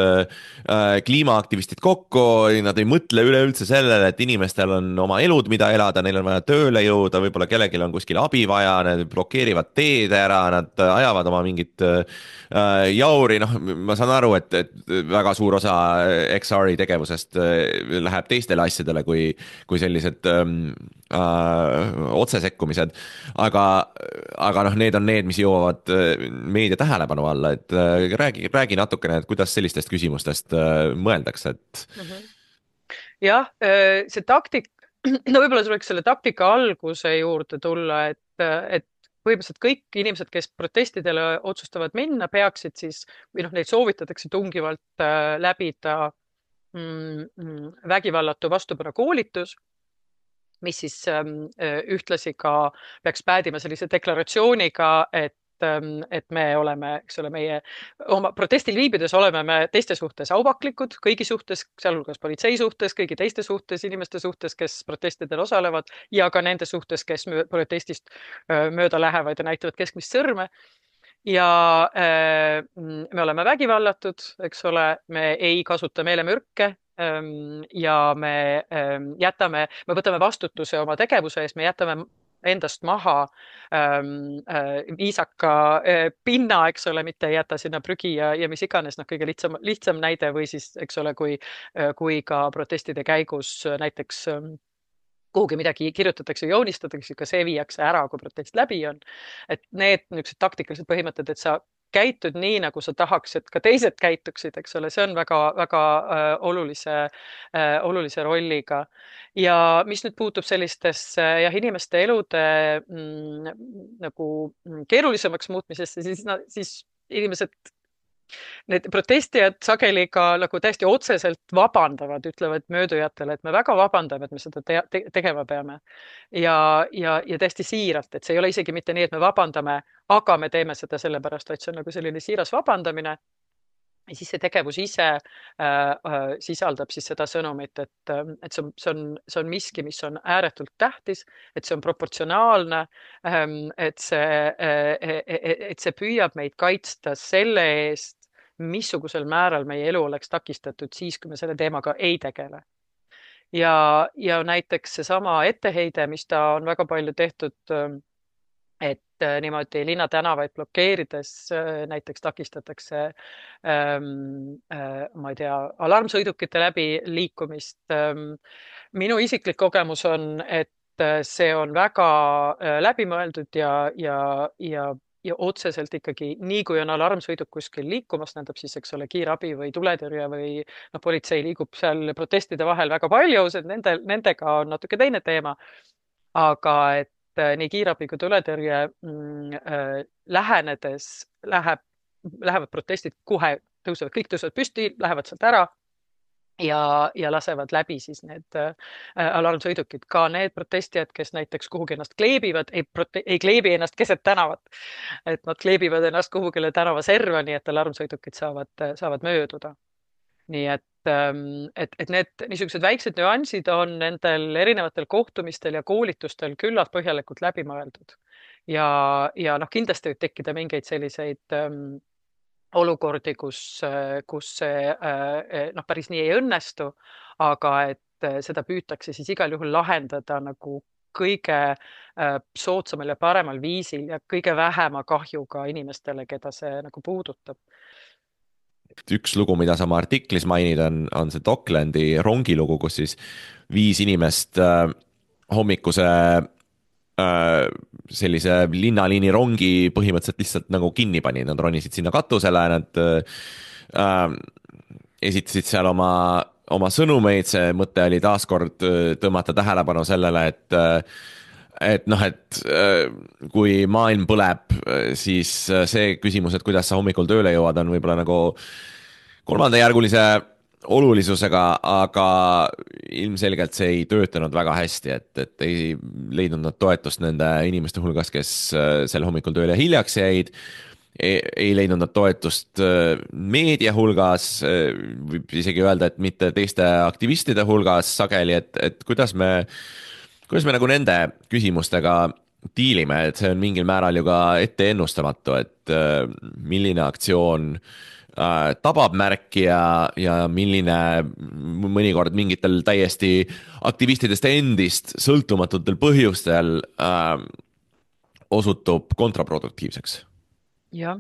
kliimaaktivistid kokku, nad ei mõtle üleüldse sellele, et inimestel on oma elud, mida elada, neil on vaja tööle jõuda, võib-olla kellelgi on kuskil abi vaja, nad blokeerivad teed ära, nad ajavad oma mingit jauri, ma saan aru, et väga suur osa XR-i tegevusest läheb teistele asjadele kui sellised otsesekkumised, aga need on need, mis jõuavad meedia tähelepanu alla, et räägi natukene, et kuidas sellistest küsimustest mõeldakse, et jah, see taktik, võib-olla tuleks selle taktika alguse juurde tulla, et põhimõtteliselt kõik inimesed, kes protestidele otsustavad minna, peaksid siis, või neid soovitatakse tungivalt läbida vägivallatu vastupanu koolitus, mis siis ühtlasi ka peaks päädima sellise deklaratsiooniga, et me oleme, eks ole, meie oma protestil viibides oleme me teiste suhtes auvaklikud, kõigi suhtes, sealhulgas politsei suhtes, kõigi teiste suhtes, inimeste suhtes, kes protestidel osalevad ja ka nende suhtes, kes protestist mööda lähevad ja näitavad keskmist sõrme. Ja me oleme vägivallatud, eks ole, me ei kasuta meelemürke, ja me võtame vastutuse oma tegevuse eest, me jätame endast maha viisaka pinna, eks ole, mitte ei jäta sinna prügi ja mis iganes, noh, kõige lihtsam näide või siis, eks ole, kui ka protestide käigus näiteks kuhugi midagi kirjutatakse, joonistatakse, ka see viiakse ära, kui protest läbi on. Et need niisugused taktikalised põhimõtted, et sa käitud nii, nagu sa tahaks, et ka teised käituksid, eks ole, see on väga olulise rolliga. Ja mis nüüd puutub sellistesse inimeste elude nagu keerulisemaks muutmisesse, siis inimesed, need protestijad sageli ka nagu täiesti otseselt vabandavad, ütlevad möödujatele, et me väga vabandame, et me seda tegema peame. Ja täiesti siiralt, et see ei ole isegi mitte nii, et me vabandame, aga me teeme seda sellepärast, vaid see on nagu selline siiras vabandamine. Ja siis see tegevus ise sisaldab siis seda sõnumit, et see on miski, mis on ääretult tähtis, et see on proportsionaalne, et see püüab meid kaitsta selle eest, missugusel määral meie elu oleks takistatud siis, kui me selle teemaga ei tegele. Ja näiteks seesama etteheide, mis ta on väga palju tehtud, et niimoodi linnatänavaid blokeerides näiteks takistatakse ma ei tea, alarmsõidukite läbi liikumist. Minu isiklik kogemus on, et see on väga läbimõeldud ja otseselt ikkagi nii, kui on alarmsõiduk kuskil liikumas, tähendab siis, eks ole, kiirabi või tuletõrje või politsei liigub seal protestide vahel väga palju, nendega on natuke teine teema. Aga et nii kiirabi kui tuletõrje lähenedes lähevad protestid kohe, kõik tõusevad püsti, lähevad sealt ära ja lasevad läbi siis need alarmsõidukid. Ka need protestijad, kes näiteks kuhugi ennast kleebivad, ei kleebi ennast keset tänavat. Et nad kleebivad ennast kuhugile tänava serva, nii et alarmsõidukid saavad mööduda. Nii et need niisugused väiksed nüansid on nendel erinevatel kohtumistel ja koolitustel küllalt põhjalikult läbi mõeldud. Ja noh, kindlasti võib tekkida mingeid selliseid olukordi, kus see päris nii ei õnnestu, aga et seda püütakse siis igal juhul lahendada nagu kõige soodsamal ja paremal viisil ja kõige vähema kahjuga inimestele, keda see nagu puudutab. Üks lugu, mida sa oma artiklis mainid, on see Docklandi rongilugu, kus siis 5 inimest hommikuse sellise linnaliini rongi põhimõtteliselt lihtsalt nagu kinni pani, nad ronisid sinna katusele, nad esitasid seal oma sõnumeid, see mõte oli taaskord tõmmata tähelepanu sellele, et kui maailm põleb, siis see küsimus, et kuidas sa hommikul tööle jõuad, on võib-olla nagu kolmandajärgulise olulisusega, aga ilmselgelt see ei töötanud väga hästi, et ei leidnud nad toetust nende inimeste hulgas, kes sel hommikul tööle hiljaks jäid. Ei leidnud nad toetust meedia hulgas, võib isegi öelda, et mitte teiste aktivistide hulgas sageli, et kuidas me nagu nende küsimustega diilime, et see on mingil määral ju ka ette ennustamatu, et milline aktsioon tabab märki ja milline mõnikord mingitel täiesti aktivistidest endist sõltumatutel põhjustel osutub kontraproduktiivseks. Jah,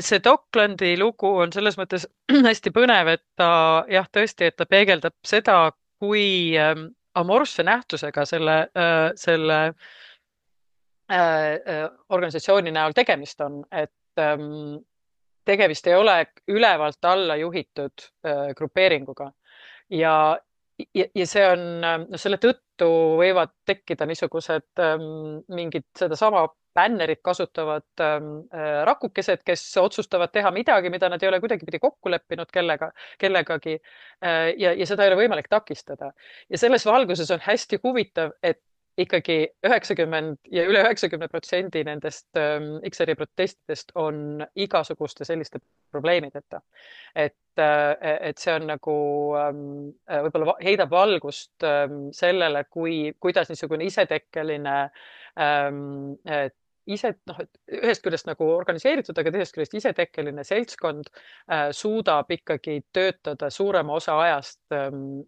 see Docklandi lugu on selles mõttes hästi põnev, et ta tõesti, et ta peegeldab seda, kui amorfse nähtusega selle organisatsiooni näol tegemist on, et tegemist ei ole ülevalt alla juhitud grupeeringuga ja see on, selle tõttu võivad tekkida niisugused mingid sedasama bännerit kasutavad rakukesed, kes otsustavad teha midagi, mida nad ei ole kuidagipidi kokku leppinud kellegagi ja seda ei ole võimalik takistada. Ja selles valguses on hästi huvitav, et ikkagi 90 ja üle 90% nendest XR-i protestidest on igasuguste selliste probleemideta. Et see on nagu võib-olla heidab valgust sellele, kuidas niisugune isetekkeline ise, noh, et ühest küljest nagu organiseeritud, aga teisest küljest isetekkeline seltskond suudab ikkagi töötada suurema osa ajast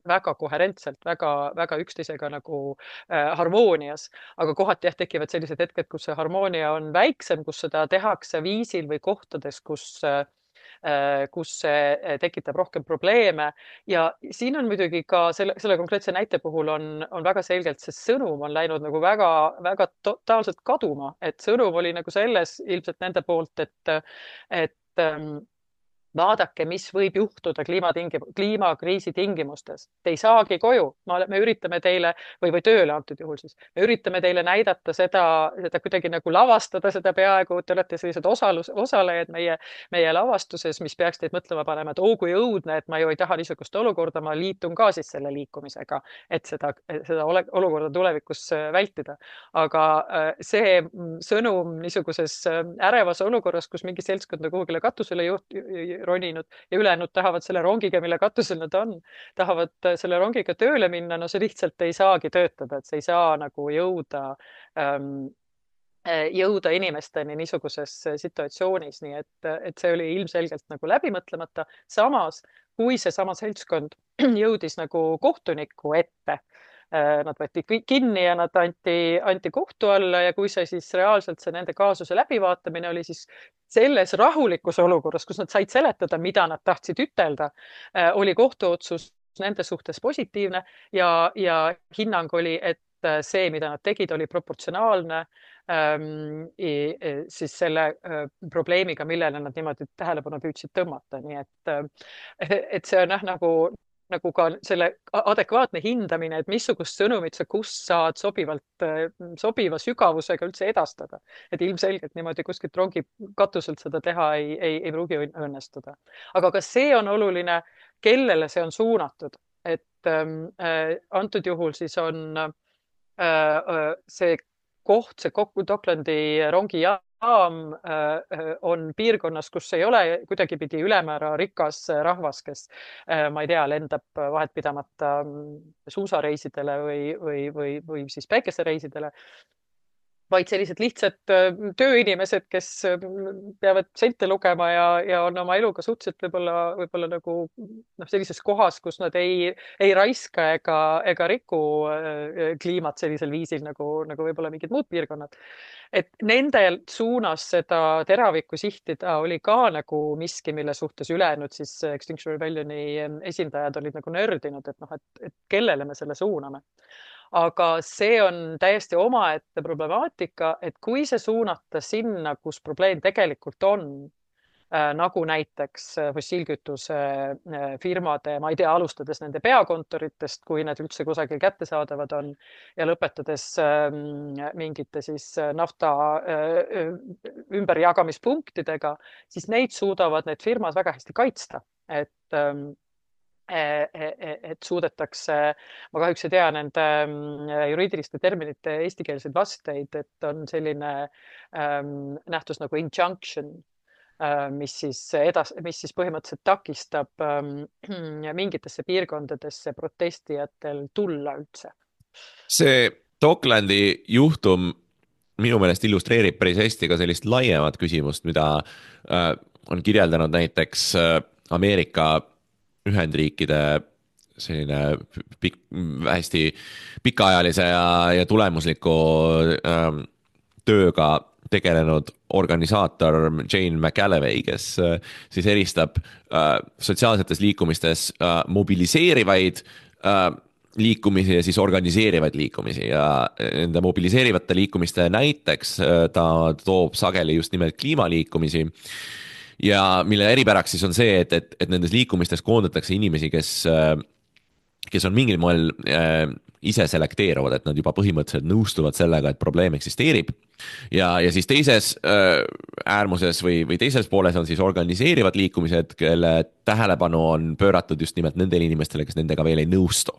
väga koherentselt, väga üksteisega nagu harmoonias, aga kohati jah, tekivad sellised hetked, kus see harmoonia on väiksem, kus seda tehakse viisil või kohtades, kus see tekitab rohkem probleeme. Ja siin on muidugi ka selle konkreetse näite puhul on väga selgelt see sõnum on läinud nagu väga totaalselt kaduma, et sõnum oli nagu selles ilmselt nende poolt, et vaadake, mis võib juhtuda kliimakriisi tingimustes. Te ei saagi koju. Me üritame teile või tööle antud juhul siis. Me üritame teile näidata seda kuidagi nagu lavastada seda peaaegu. Te olete sellised osalejad meie lavastuses, mis peaks teid mõtlema panema, et kui õudne, et ma ju ei taha niisugust olukorda, ma liitun ka siis selle liikumisega, et seda olukorda tulevikus vältida. Aga see sõnum niisuguses ärevas olukorras, kus mingi seltskond kuhugile katusele roninud ja ülejäänud tahavad selle rongiga, mille katusel nad on, tahavad selle rongiga tööle minna, no see lihtsalt ei saagi töötada, et see ei saa nagu jõuda inimesteni niisuguses situatsioonis, nii et see oli ilmselgelt nagu läbimõtlemata. Samas, kui seesama seltskond jõudis nagu kohtuniku ette, nad võeti kinni ja nad anti kohtu alla ja kui see siis reaalselt see nende kaasuse läbivaatamine oli siis selles rahulikus olukorras, kus nad said seletada, mida nad tahtsid ütelda, oli kohtuotsus nende suhtes positiivne ja hinnang oli, et see, mida nad tegid, oli proportsionaalne siis selle probleemiga, millele nad niimoodi tähelepanu püüdsid tõmmata. Nii et see on nagu ka selle adekvaatne hindamine, et missugust sõnumit sa kus saad sobiva sügavusega üldse edastada. Et ilmselgelt niimoodi kuskilt rongi katuselt seda teha ei pruugi õnnestuda. Aga ka see on oluline, kellele see on suunatud. Et antud juhul siis on see koht, see Docklandi rongijaam on piirkonnas, kus ei ole kuidagipidi ülemäära rikas rahvas, kes, ma ei tea, lendab vahetpidamata suusareisidele või siis päikesereisidele, vaid sellised lihtsad tööinimesed, kes peavad sente lugema ja on oma eluga suhteliselt võib-olla nagu sellises kohas, kus nad ei raiska ega riku kliimat sellisel viisil nagu võib-olla mingid muud piirkonnad. Et nende suunas seda teravikku sihtida oli ka nagu miski, mille suhtes ülejäänud siis Extinction Rebellioni esindajad olid nagu nördinud, et kellele me selle suuname. Aga see on täiesti omaette problemaatika, et kui see suunata sinna, kus probleem tegelikult on, nagu näiteks fossiilkütuse firmade, ma ei tea, alustades nende peakontoritest, kui need üldse kusagil kättesaadavad on, ja lõpetades mingite siis nafta ümberjagamispunktidega, siis neid suudavad need firmad väga hästi kaitsta, et suudetakse, ma kahjuks ei tea nende juriidiliste terminite eestikeelseid vasteid, et on selline nähtus nagu injunction, mis siis põhimõtteliselt takistab mingitesse piirkondadesse protestijatel tulla üldse. See Docklandi juhtum minu meelest illustreerib päris hästi ka sellist laiemat küsimust, mida on kirjeldanud näiteks Ameerika Ühendriikide selline hästi pikaajalise ja tulemusliku tööga tegelenud organisaator Jane McAlevey, kes siis eristab sotsiaalsetes liikumistes mobiliseerivaid liikumisi ja siis organiseerivaid liikumisi ja nende mobiliseerivate liikumiste näiteks ta toob sageli just nimelt kliimaliikumisi. Ja mille eripäraks siis on see, et nendes liikumistes koondatakse inimesi, kes on mingil moel ise selekteeruvad, et nad juba põhimõtteliselt nõustuvad sellega, et probleem eksisteerib. Ja siis teises äärmuses või teises pooles on siis organiseerivad liikumised, kelle tähelepanu on pööratud just nimelt nendele inimestele, kes nendega veel ei nõustu.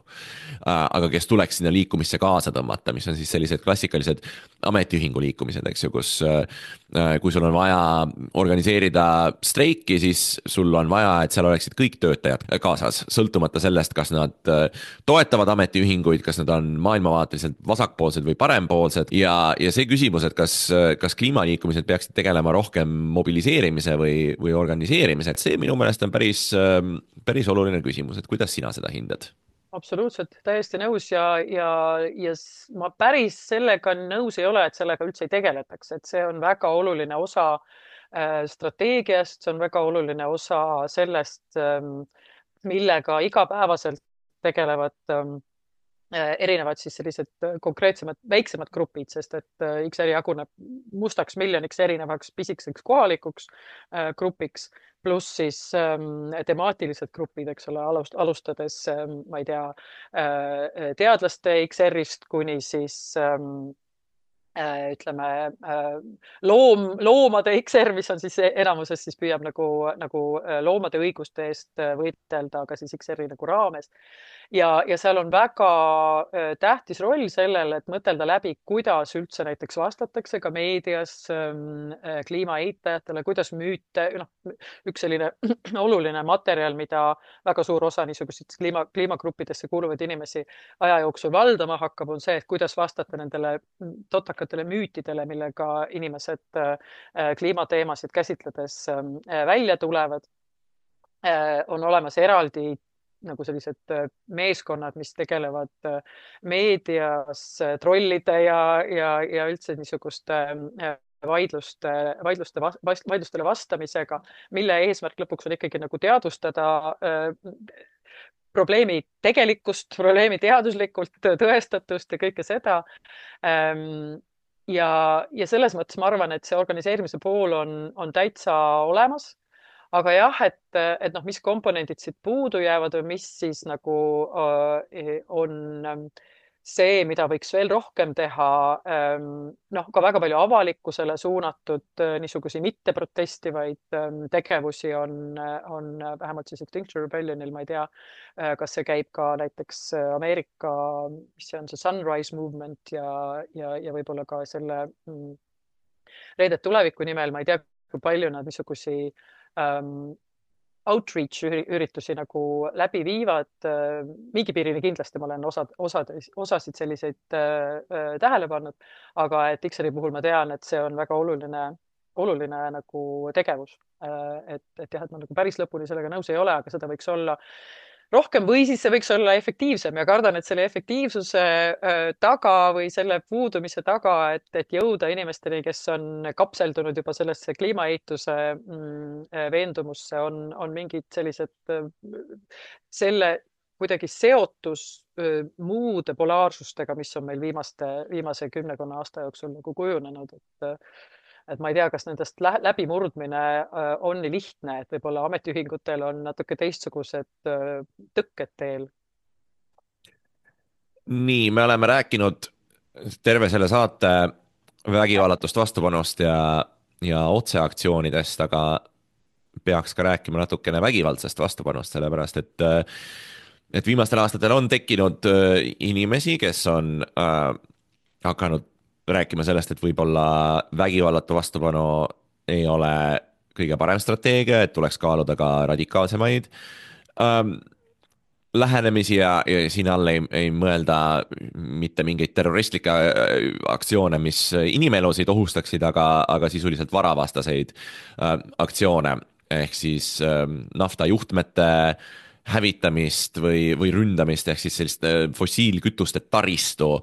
Aga kes tuleks sinna liikumisse kaasa tõmmata, mis on siis sellised klassikalised ametiühingu liikumised, eks ju, kus kui sul on vaja organiseerida streiki, siis sul on vaja, et seal oleksid kõik töötajad kaasas, sõltumata sellest, kas nad toetavad ametiühinguid, kas nad on maailmavaateliselt vasakpoolsed või parempoolsed ja see küsimus, et kas kliimaliikumised peaksid tegelema rohkem mobiliseerimise või organiseerimise, et see minu meelest on päris oluline küsimus, et kuidas sina seda hindad? Absoluutselt, täiesti nõus ja ma päris sellega nõus ei ole, et sellega üldse ei tegeletaks, et see on väga oluline osa strateegiast, see on väga oluline osa sellest, millega igapäevaselt tegelevad erinevad siis sellised konkreetsemad, väiksemad grupid, sest et XR jaguneb mustaks miljoniks erinevaks pisikeseks kohalikuks grupiks, pluss siis temaatilised grupid, eks ole, alustades, ma ei tea, teadlaste XR-ist kuni siis ütleme loomade XR, mis on siis enamuses siis püüab nagu loomade õiguste eest võidelda, aga siis XR-i nagu raames. Ja seal on väga tähtis roll sellele, et mõtelda läbi, kuidas üldse näiteks vastatakse ka meedias kliima eitajatele, kuidas müüte, üks selline oluline materjal, mida väga suur osa niisugused kliimagruppidesse kuuluvaid inimesi aja jooksul valdama hakkab, on see, et kuidas vastata nendele totakatele müütidele, millega inimesed kliimateemasid käsitledes välja tulevad. On olemas eraldi nagu sellised meeskonnad, mis tegelevad meedias trollide ja üldse niisuguste vaidlustele vastamisega, mille eesmärk lõpuks on ikkagi nagu teadvustada probleemi tegelikkust, probleemi teaduslikult tõestatust ja kõike seda. Ja selles mõttes ma arvan, et see organiseerimise pool on täitsa olemas. Aga jah, et mis komponendid siit puudu jäävad või mis siis nagu on see, mida võiks veel rohkem teha, ka väga palju avalikkusele suunatud niisugusi mitte protestivaid tegevusi on vähemalt siis Extinction Rebellionil, ma ei tea, kas see käib ka näiteks Ameerika, mis see on, see Sunrise Movement ja võib-olla ka selle Reedet tuleviku nimel, ma ei tea, kui palju nad niisugusi outreach üritusi nagu läbi viivad. Mingi piirini kindlasti ma olen osasid selliseid tähele pannud, aga et XR-i puhul ma tean, et see on väga oluline nagu tegevus. Et jah, et ma nagu päris lõpuni sellega nõus ei ole, aga seda võiks olla rohkem või siis see võiks olla efektiivsem ja kardan, et selle efektiivsuse taga või selle puudumise taga, et jõuda inimesteni, kes on kapseldunud juba sellesse kliimaeituse veendumusse, on mingid sellised selle kuidagi seotus muude polaarsustega, mis on meil viimase 10 aasta jooksul nagu kujunenud, et ma ei tea, kas nendest läbimurdmine on nii lihtne, et võib-olla ametiühingutel on natuke teistsugused tõkked teel. Nii, me oleme rääkinud terve selle saate vägivallatust vastupanust ja otseaktsioonidest, aga peaks ka rääkima natukene vägivaldsest vastupanust, sellepärast et viimastel aastatel on tekkinud inimesi, kes on hakanud rääkima sellest, et võib-olla vägivallatu vastupanu ei ole kõige parem strateegia, et tuleks kaaluda ka radikaalsemaid lähenemisi ja siin all ei mõelda mitte mingeid terroristlikke aktsioone, mis inimelusid ohustaksid, aga sisuliselt varavastaseid aktsioone ehk siis naftajuhtmete hävitamist või ründamist ehk siis sellist fossiilkütuste taristu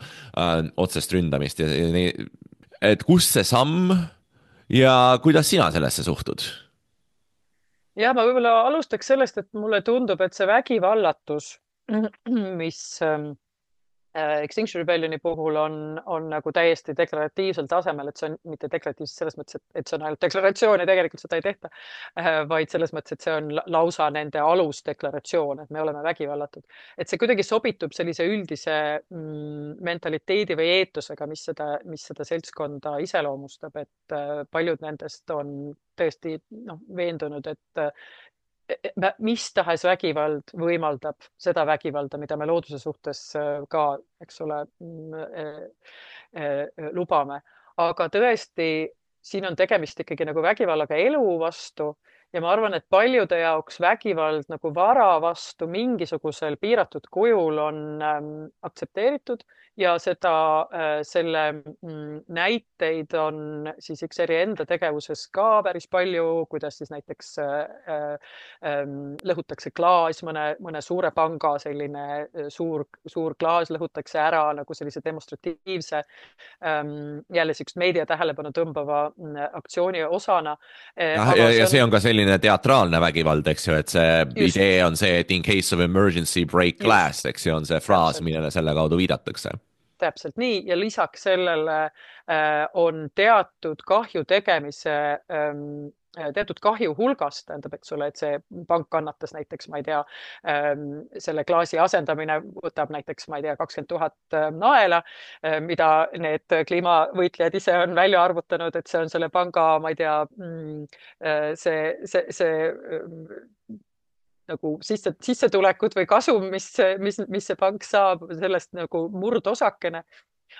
otsest ründamist. Et kus see samm ja kuidas sina sellesse suhtud? Ja ma võib-olla alustaks sellest, et mulle tundub, et see vägivallatus, mis Extinction Rebellioni puhul on nagu täiesti deklaratiivsel tasemel, et see on mitte deklaratiivselt selles mõttes, et see on ainult deklaratsioon ja tegelikult seda ei tehta, vaid selles mõttes, et see on lausa nende alusdeklaratsioon, et me oleme vägivallatud. Et see kuidagi sobitub sellise üldise mentaliteedi või eetusega, mis seda seltskonda iseloomustab, et paljud nendest on tõesti veendunud, et mis tahes vägivald võimaldab seda vägivalda, mida me looduse suhtes ka, eks ole, lubame. Aga tõesti, siin on tegemist ikkagi nagu vägivallaga elu vastu ja ma arvan, et paljude jaoks vägivald nagu vara vastu mingisugusel piiratud kujul on aktsepteeritud ja selle näiteid on siis XR-i enda tegevuses ka päris palju, kuidas siis näiteks lõhutakse klaas, mõne suure panga selline suur klaas lõhutakse ära nagu sellise demonstratiivse jälle siukest meedia tähelepanu tõmbava aktsiooni osana. Ja see on ka selline teatraalne vägivald, eks ju, et see just, idee on see, et in case of emergency break glass, eks ju, on see fraas, täpselt. millele selle kaudu viidatakse. Täpselt nii ja lisaks sellele on teatud kahju tegemise teatud kahju hulgast, tähendab, eks ole, et see pank kannatas näiteks, ma ei tea, selle klaasi asendamine võtab näiteks, ma ei tea, 20 000 naela, mida need kliimavõitlejad ise on välja arvutanud, et see on selle panga, ma ei tea, see nagu sissetulekud või kasum, mis see pank saab, sellest nagu murdosakene.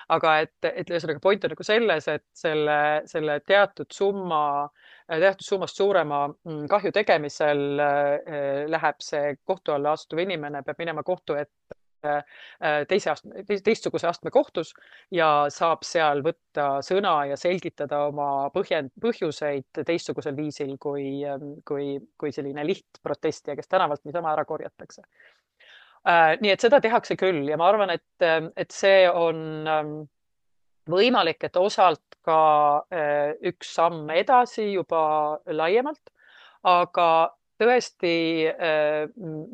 Aga et ühesõnaga point on nagu selles, et selle teatud summast suurema kahju tegemisel läheb see kohtu alla astuv inimene, peab minema kohtu ette teistsuguse astme kohtus ja saab seal võtta sõna ja selgitada oma põhjuseid teistsugusel viisil kui selline lihtprotestija, kes tänavalt niisama ära korjatakse. Nii et seda tehakse küll ja ma arvan, et see on võimalik, et osalt ka üks samm edasi juba laiemalt, aga tõesti,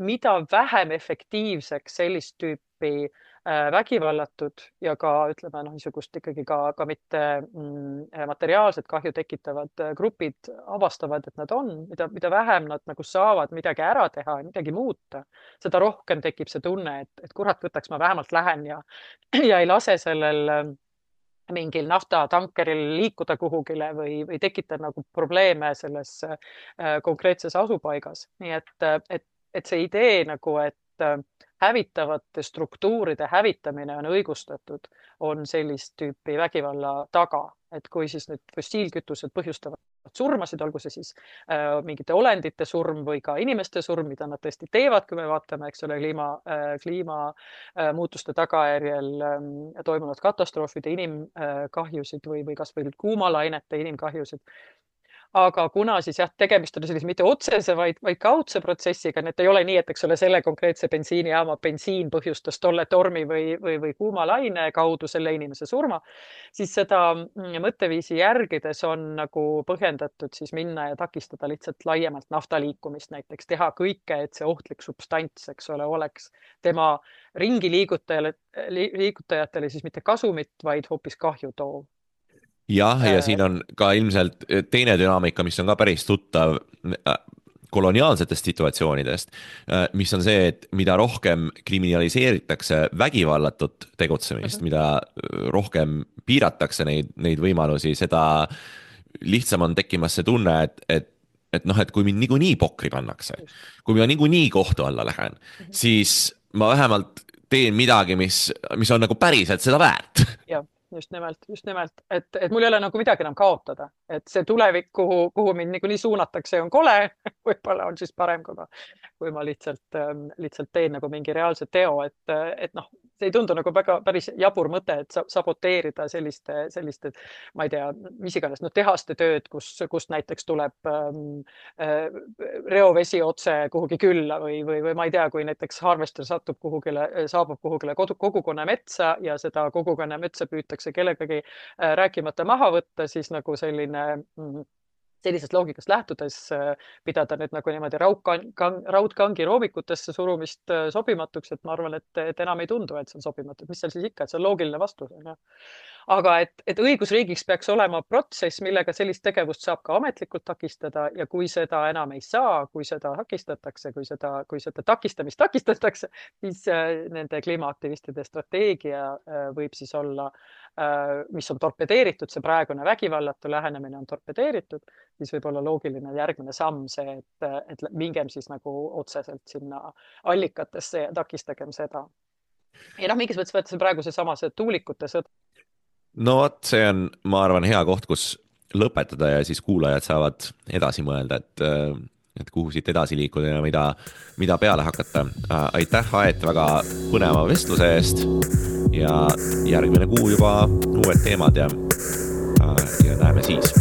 mida vähem efektiivseks sellist tüüpi vägivallatud ja ka ütleme niisugust ikkagi ka mitte materiaalset kahju tekitavad grupid avastavad, et nad on, mida vähem nad nagu saavad midagi ära teha ja midagi muuta, seda rohkem tekib see tunne, et kurat, võtaks ma vähemalt lähen ja ei lase sellel mingil naftatankeril liikuda kuhugile või tekitada nagu probleeme selles konkreetses asupaigas. Nii et see idee nagu, et hävitavate struktuuride hävitamine on õigustatud, on sellist tüüpi vägivalla taga. Et kui siis nüüd fossiilkütused põhjustavad surmasid, olgu see siis mingite olendite surm või ka inimeste surm, mida nad tõesti teevad, kui me vaatame, eks ole, kliimamuutuste tagajärjel toimunud katastroofide inimkahjusid või kas või kuumalainete inimkahjusid. Aga kuna siis jah, tegemist on sellise mitte otsese, vaid kaudse protsessiga, et ei ole nii, et eks ole selle konkreetse bensiinijaama bensiin põhjustas tolle tormi või kuumalaine kaudu selle inimese surma, siis seda mõtteviisi järgides on nagu põhjendatud siis minna ja takistada lihtsalt laiemalt nafta liikumist, näiteks teha kõike, et see ohtlik substants, eks ole, oleks tema ringi liigutajatele siis mitte kasumit, vaid hoopis kahju toov. Jah, ja siin on ka ilmselt teine dünaamika, mis on ka päris tuttav koloniaalsetest situatsioonidest, mis on see, et mida rohkem kriminaliseeritakse vägivallatut tegutsemist, mida rohkem piiratakse neid võimalusi, seda lihtsam on tekkimas see tunne, et kui mind niikuinii pokri pannakse, kui ma niikuinii kohtu alla lähen, siis ma vähemalt teen midagi, mis on nagu päriselt seda väärt. Jah. Just nimelt, et mul ei ole nagu midagi enam kaotada, et see tulevik, kuhu mind niikuinii suunatakse, on kole, võib-olla on siis parem, kui ma lihtsalt teen nagu mingi reaalse teo, et noh, see ei tundu nagu päris jabur mõte, et saboteerida selliste, ma ei tea, mis iganes, tehaste tööd, kust näiteks tuleb reovesi otse kuhugi külla või ma ei tea, kui näiteks harvester saabub kuhugile kogukonna metsa ja seda kogukonna metsa püütakse kellegagi rääkimata maha võtta, siis nagu sellisest loogikast lähtudes pidada nüüd nagu niimoodi raudkangi roomikutesse surumist sobimatuks, et ma arvan, et enam ei tundu, et see on sobimatu. Mis seal siis ikka, et see on loogiline vastus. Aga et õigusriigiks peaks olema protsess, millega sellist tegevust saab ka ametlikult takistada ja kui seda enam ei saa, kui seda takistatakse, kui seda takistamist takistatakse, siis nende kliimaaktivistide strateegia võib siis olla, mis on torpedeeritud, see praegune vägivallatu lähenemine on torpedeeritud, siis võib olla loogiline järgmine samm see, et mingem siis nagu otseselt sinna allikatesse ja takistagem seda. Ja mingis mõttes võttes praegu see tuulikute sõda. No vot, see on, ma arvan, hea koht, kus lõpetada ja siis kuulajad saavad edasi mõelda, et kuhu siit edasi liikuda ja mida peale hakata. Aitäh, Aet, väga põneva vestluse eest ja järgmine kuu juba uued teemad ja näeme siis.